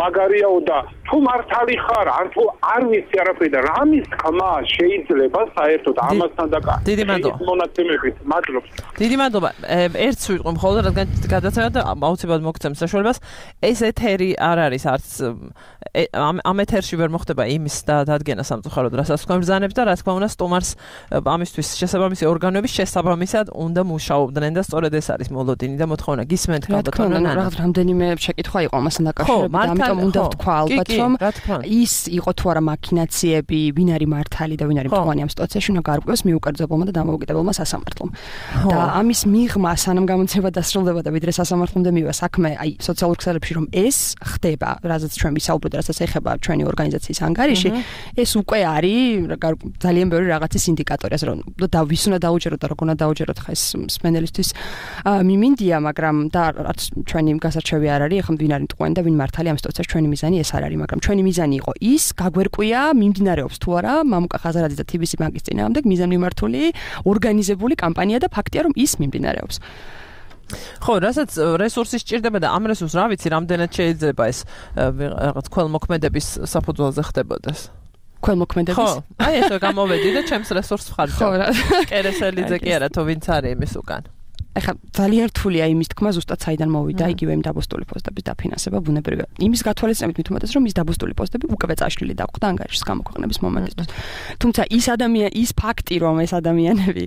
მაგარიაო და თუ მართალი ხარ ან თუ არ ვიცი არაფერი და რამის ხმა შეიძლება საერთოდ ამასთან დაკავშირებით დიდი მადლობა მონაცემებით მადლობა დიდი მადლობა ერთს ვიტყვი მხოლოდ რადგან გადაცემა და აუცილებლად მოგცემ საშუალებას ეს ეთერი არ არის არც ამ ეთერში ვერ მოხდება იმის დადგენა სამწუხაროდ რასაც თქვენ ბრძანებთ და რა თქმა უნდა სტუმარს ამისთვის შესაბამისი ორგანოების შესაბამისად უნდა მუშაობდნენ და სწორედ ეს არის მოლოდინი და მოთხოვნა გისმენთ გაბატონო რაღაც რამდენიმე შეკითხვა იყო ამასთან დაკავშირებით და ამიტომ უნდა ვთქვა ალბათ რომ ის იყო თუ არა მაქინაციები ვინ არის მართალი და ვინ არის მწვანე ამ სიტუაციაში უნდა გარკვევს მიუკერძებელმა და დამოუკიდებელმა სასამართლომ და ამის მიღმა სანამ გამოცემა დასრულდება და ვიდრე სასამართლომდე მივა საქმე აი სოციალურ ქსელებში რომ ეს ხდება რაზეც ჩვენ ვისაუბრეთ რასაც ეხება ჩვენი ორგანიზაციის ანგარიში ეს უკვე არის ძალიან ბევრი რაღაცის ინდიკატორი ასე რომ და ვის უნდა დაუჯეროთ და როგორ უნდა დაუჯეროთ ხა ეს მსმენელისთვის მიმინდია მაგრამ და რაც ჩვენი გასარჩევი არ არის ახლა ვინ არის მტყვანი და ვინ მართალი ამ სიტუაციაში ჩვენი მიზანი ეს არ არის მაგრამ ჩვენი მიზანი იყო ის გაგვერკვია მიმდინარეობს თუ არა მამუკა ხაზარაძის და TBC ბანკის წინააღმდეგ მიზანმიმართული ორგანიზებული კამპანია და ფაქტია რომ ის მიმდინარეობს ხო, რასაც რესურსი სჭირდება და ამ რესურსს რა ვიცი, რამდენად შეიძლება ეს რაღაც ქველმოქმედების საფუძველზე ხდებოდეს. ქველმოქმედების? ხო, აი ესე გამოვედი და ჩემს რესურსს ვხარჯავ. ხო, რა. კერესელიძე კი არა, თუ ვინც არის იმის უკან. ეხლა ძალიან რთულია იმის თქმა ზუსტად საიდან მოვიდა იგივე იმ დაბოსტული პოსტების დაფინანსება ბუნებრივია. იმის გათვალისწინებით მით უმეტეს რომ ის დაბოსტული პოსტები უკვე წაშლილი დაგვხდა ანგარიშის გამოქვეყნების მომენტისთვის. თუმცა ის ფაქტი რომ ეს ადამიანები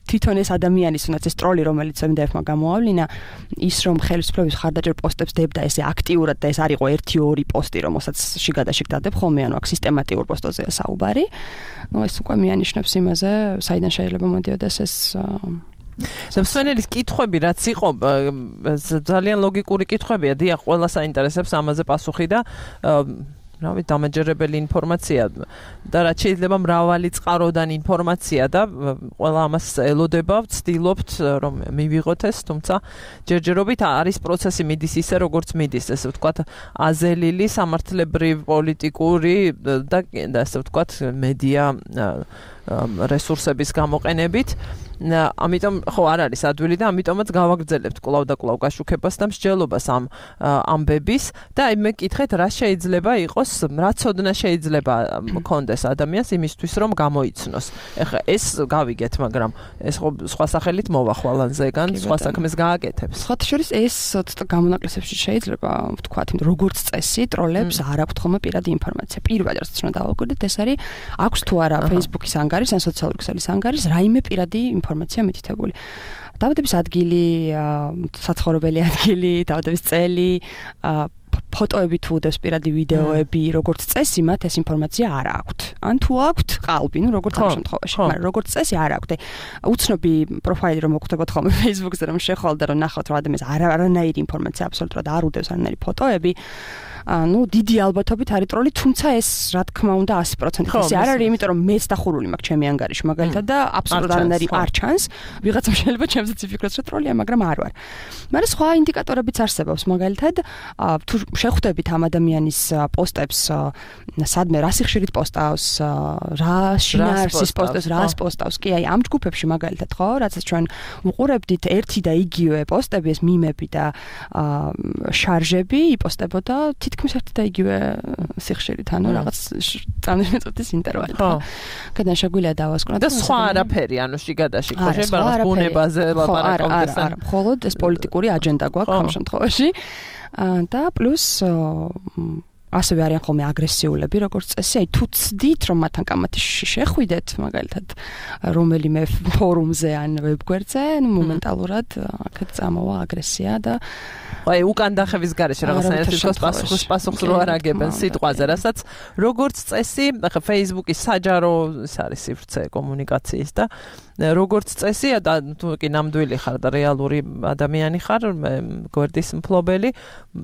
თვითონ ეს ადამიანის უნდაც ეს ტროლი რომელიც MDF-მა გამოავლინა ის რომ ხელისუფლების ხარდაჭერ პოსტებს დებდა ესე აქტიურად და ეს არ იყო 1-2 პოსტი რომელსაც შიგადაშიგ დადებ ხოლმე ანუ აქ სისტემატიურ პოსტოზეა საუბარი. ნუ ეს უკვე მიანიშნებს იმაზე საიდან შეიძლება მოდიოდეს ეს მსმენელის კითხვები რაც იყო ძალიან ლოგიკური კითხვებია დიახ ყველა საინტერესებს ამაზე პასუხი და რავი დამაჯერებელი ინფორმაცია და რაც შეიძლება მრავალი წყაროდან ინფორმაცია და ყველა ამას ელოდება ვცდილობთ რომ მივიღოთ ეს თუმცა ჯერჯერობით არის პროცესი მიდის ისე როგორც მიდის ესე ვთქვათ აზელილი სამართლებრივი პოლიტიკური და ესე ვთქვათ მედია რესურსების გამოყენებით ამიტომ ხო არ არის ადვილი და ამიტომაც გავაგრძელებთ კვლავ და კვლავ გაშუქებას და მსჯელობას ამ ამბების და აი მე კითხეთ რა შეიძლება იყოს რა ცოდნა შეიძლება მქონდეს ადამიანს იმისთვის რომ გამოიცნოს ეხლა ეს გავიგეთ მაგრამ ეს ხო სხვა სახელით მოვა ხვალანზეგან სხვა საქმეს გააკეთებს სხვა შორის ეს გამონაკლისებში შეიძლება ვთქვათ როგორც წესი ტროლებს არ აქვთ ხოლმე პირადი ინფორმაცია პირველად რაც უნდა დავაკვირდეთ ეს არის აქვს თუ არა Facebook-ის ანგარის ან სოციალური ქსელის ანგარის რაიმე პირადი ინფორმაცია მითითებული. დაბადების ადგილი, საცხოვრებელი ადგილი, დაბადების წელი, ფოტოები თუ უდევს პირადი ვიდეოები, როგორც წესი მათ ეს ინფორმაცია არ აქვთ. ან თუ აქვთ, ყალბი, ნუ როგორც ამ შემთხვევაში, მაგრამ როგორც წესი არ აქვთ. უცნობი პროფაილი რომ მოგვხდებათ ხოლმე Facebook-ზე რომ შეხვალ და რომ ნახავთ რომ ადამიანს არანაირი ინფორმაცია აბსოლუტურად არ უდევს არანაირი ფოტოები. ну დიდი ალბათობით არის ტროლი, თუმცა ეს რა თქმა უნდა 100% ეს არ არის, იმიტომ რომ მეც დახურული მაქვს ჩემი ანგარიში მაგალითად და აბსოლუტურად არანაირი არ ჩანს. ვიღაცამ შეიძლება ჩემსაც იფიქროს რომ ტროლია, მაგრამ არ ვარ. მაგრამ სხვა ინდიკატორებიც არსებობს, მაგალითად თუ შეხვდებით ამ ადამიანის პოსტებს, სადმე რა სიხშირით პოსტავს, რა შინაარსის პოსტებს, რას პოსტავს, კი აი ამ ჯგუფებში მაგალითად ხო, რაცაც ჩვენ უყურებდით ერთი და იგივე პოსტები, ეს მიმები და შარჟები იპოსტებოდა თითქმის ერთი და იგივე სიხშირით, ანუ რაღაც წამის წუთის ინტერვალით. ხო. გადან შეგვიძლია დავასკვნოთ. და სხვა არაფერი, ანუ შიგადაში ხო შეიძლება რაღაც ბუნებაზე ლაპარაკობდეს. არა, მხოლოდ ეს პოლიტიკური აჯენდა გვაქვს ამ შემთხვევაში. და პლუს ასევე არიან ხოლმე აგრესიულები, როგორც წესი, აი თუ ცდით რომ მათთან კამათში შეხვიდეთ, მაგალითად, რომელიმე ფორუმზე ან ვებგვერდზე, ნუ მომენტალურად აქეთ წამოვა აგრესია და აი უკან დახევის გარეშე რაღაცნაირად პასუხს რო არ აგებენ სიტყვაზე, რასაც როგორც წესი, ახლა Facebook-ის საჯარო ის არის სივრცე კომუნიკაციის და როგორც წესი, თუ კი ნამდვილი ხარ და რეალური ადამიანი ხარ, გვერდის მფლობელი,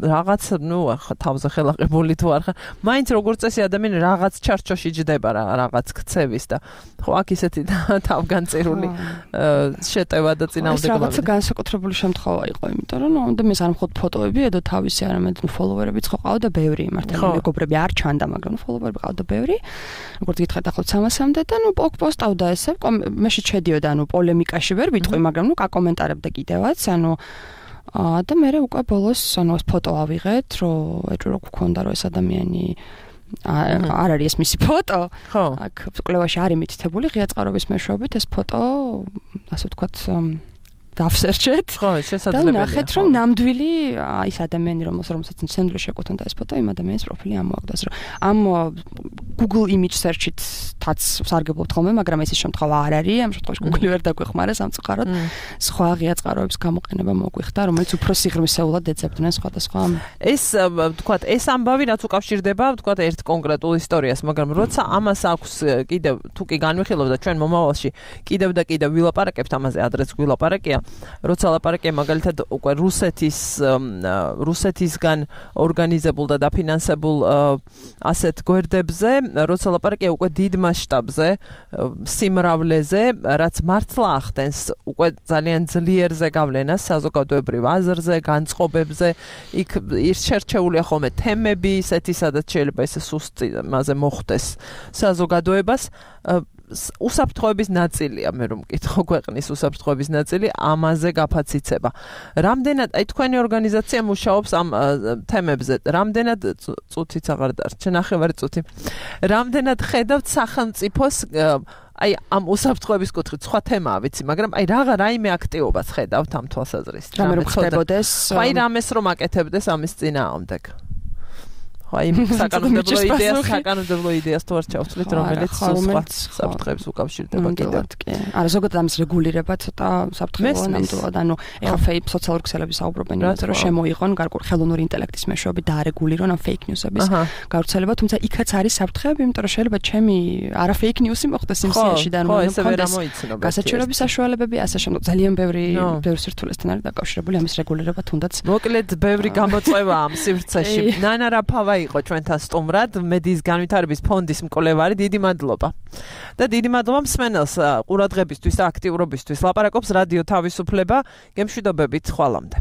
რაღაც, ნუ თავზე ხელახებული თუ არ ხარ, მაინც როგორც წესი ადამიანი რაღაც ჩარჩოში ჯდება რაღაც ქცევის და ხო აქ ისეთი თავგანწირული შეტევა და წინააღმდეგობა. რაღაცა განსაკუთრებული შემთხვევა იყო, იმიტომ რომ ადამიანს არ მხოლოდ ფოტოები ედო თავისი, არამედ ფოლოვერებიც ხო ყავდა ბევრი, მართლა მეგობრები არ ჩანდა, მაგრამ ფოლოვერები ყავდა ბევრი. როგორც გითხარით ახლა 300-მდე და ნუ პოსტავდა ესე, მე შეჩედიოდა, ანუ პოლემიკაში ვერ ვიტყვი, მაგრამ ნუ კაკომენტარებდა კიდევაც, ანუ და მე უკვე ბოლოს ანუ ეს ფოტო ავიღეთ, რომ ეჭვრო გქონდა რომ ეს ადამიანი არ არის ეს მისი ფოტო. ხო. აქ კვლევაში არის მითითებული ღია წყაროების მეშვეობით ეს ფოტო, ასე ვთქვათ, დავსერჩეთ. ხო, შესაძლებელია. და ნახეთ, რომ ნამდვილი ის ადამიანი, რომელსაც ცენტრში შეკუთვნოდა ეს ფოტო, იმ ადამიანის პროფილი ამოაგდოს, რომ ამ Google image search-ით სარგებლობთ ხოლმე, მაგრამ ეს შემთხვევა არ არის, ამ შემთხვევაში Google ვერ დაგვეხმარა სამწუხაროდ. სხვა ღია წყაროების გამოყენება მოგვიხდა, რომელიც უფრო სიღრმისეულად ეძებდნენ სხვადასხვა. ეს ვთქვათ, ეს ამბავი რაც უკავშირდება, ვთქვათ, ერთ კონკრეტულ ისტორიას, მაგრამ როცა ამას აქვს კიდევ თუ კი განვიხილავ და ჩვენ მომავალში კიდევ და კიდევ ვილაპარაკებთ ამაზე, ადრეც ვილაპარაკია, როცა ლაპარაკია მაგალითად უკვე რუსეთისგან ორგანიზებულ და დაფინანსებულ ასეთ გვერდებზე, როცა ლაპარაკია უკვე დიდ მასშტაბზე, სიმრავლეზე, რაც მართლა ახდენს უკვე ძალიან ძლიერზე გავლენას საზოგადოებრივ აზრზე, განწყობებზე, იქ შერჩეულია ხოლმე თემები, ისეთი, სადაც შეიძლება ეს სუსტი მასე მოხდეს საზოგადოებას. უსაფრთხოების ნაწილია, მე რომ მკითხო ქვეყნის უსაფრთხოების ნაწილი ამაზე გაფაციცება. რამდენად აი თქვენი ორგანიზაცია მუშაობს ამ თემებზე? რამდენად წუთიც აღარ დარჩა, ნახევარი წუთი. რამდენად ხედავთ სახელმწიფოს აი ამ უსაფრთხოების კუთხით სხვა თემაა, ვიცი, მაგრამ აი რაიმე აქტივობას ხედავთ ამ თვალსაზრისით? რამე რომ ხდებოდეს? აი რამეს რომ აკეთებდეს ამის წინააღმდეგ? აი საკანონმდებლო იდეას თუ არ ჩავთვლით, რომელიც სხვა საფრთხეებს უკავშირდება კიდევ. არა, ზოგადად ამის რეგულირება ცოტა საფრთხეა ნამდვილად. ანუ ეხა fake სოციალური ქსელები საუბრობენ იმაზე, რომ შემოიღონ გარკვეული ხელოვნური ინტელექტის მეშვეობით და არეგულირონ ამ fake news-ების გავრცელება, თუმცა იქაც არის საფრთხეები, იმიტომ რომ შეიძლება ჩემი არა fake news-ი მოხდეს იმ სიაში და ანუ გასაჩივრების საშუალებები, ასე შემდეგ ძალიან ბევრი სირთულესთან არის დაკავშირებული ამის რეგულირება, თუნდაც მოკლედ ბევრი გამოწვევა ამ სივრცეში. ნანა რაფავა იყო ჩვენთან სტუმრად, მედიის განვითარების ფონდის მკვლევარი, დიდი მადლობა. და დიდი მადლობა მსმენელს ყურადღებისთვის და აქტიურობისთვის. ლაპარაკობს რადიო თავისუფლება, გემშვიდობებით, ხვალამდე.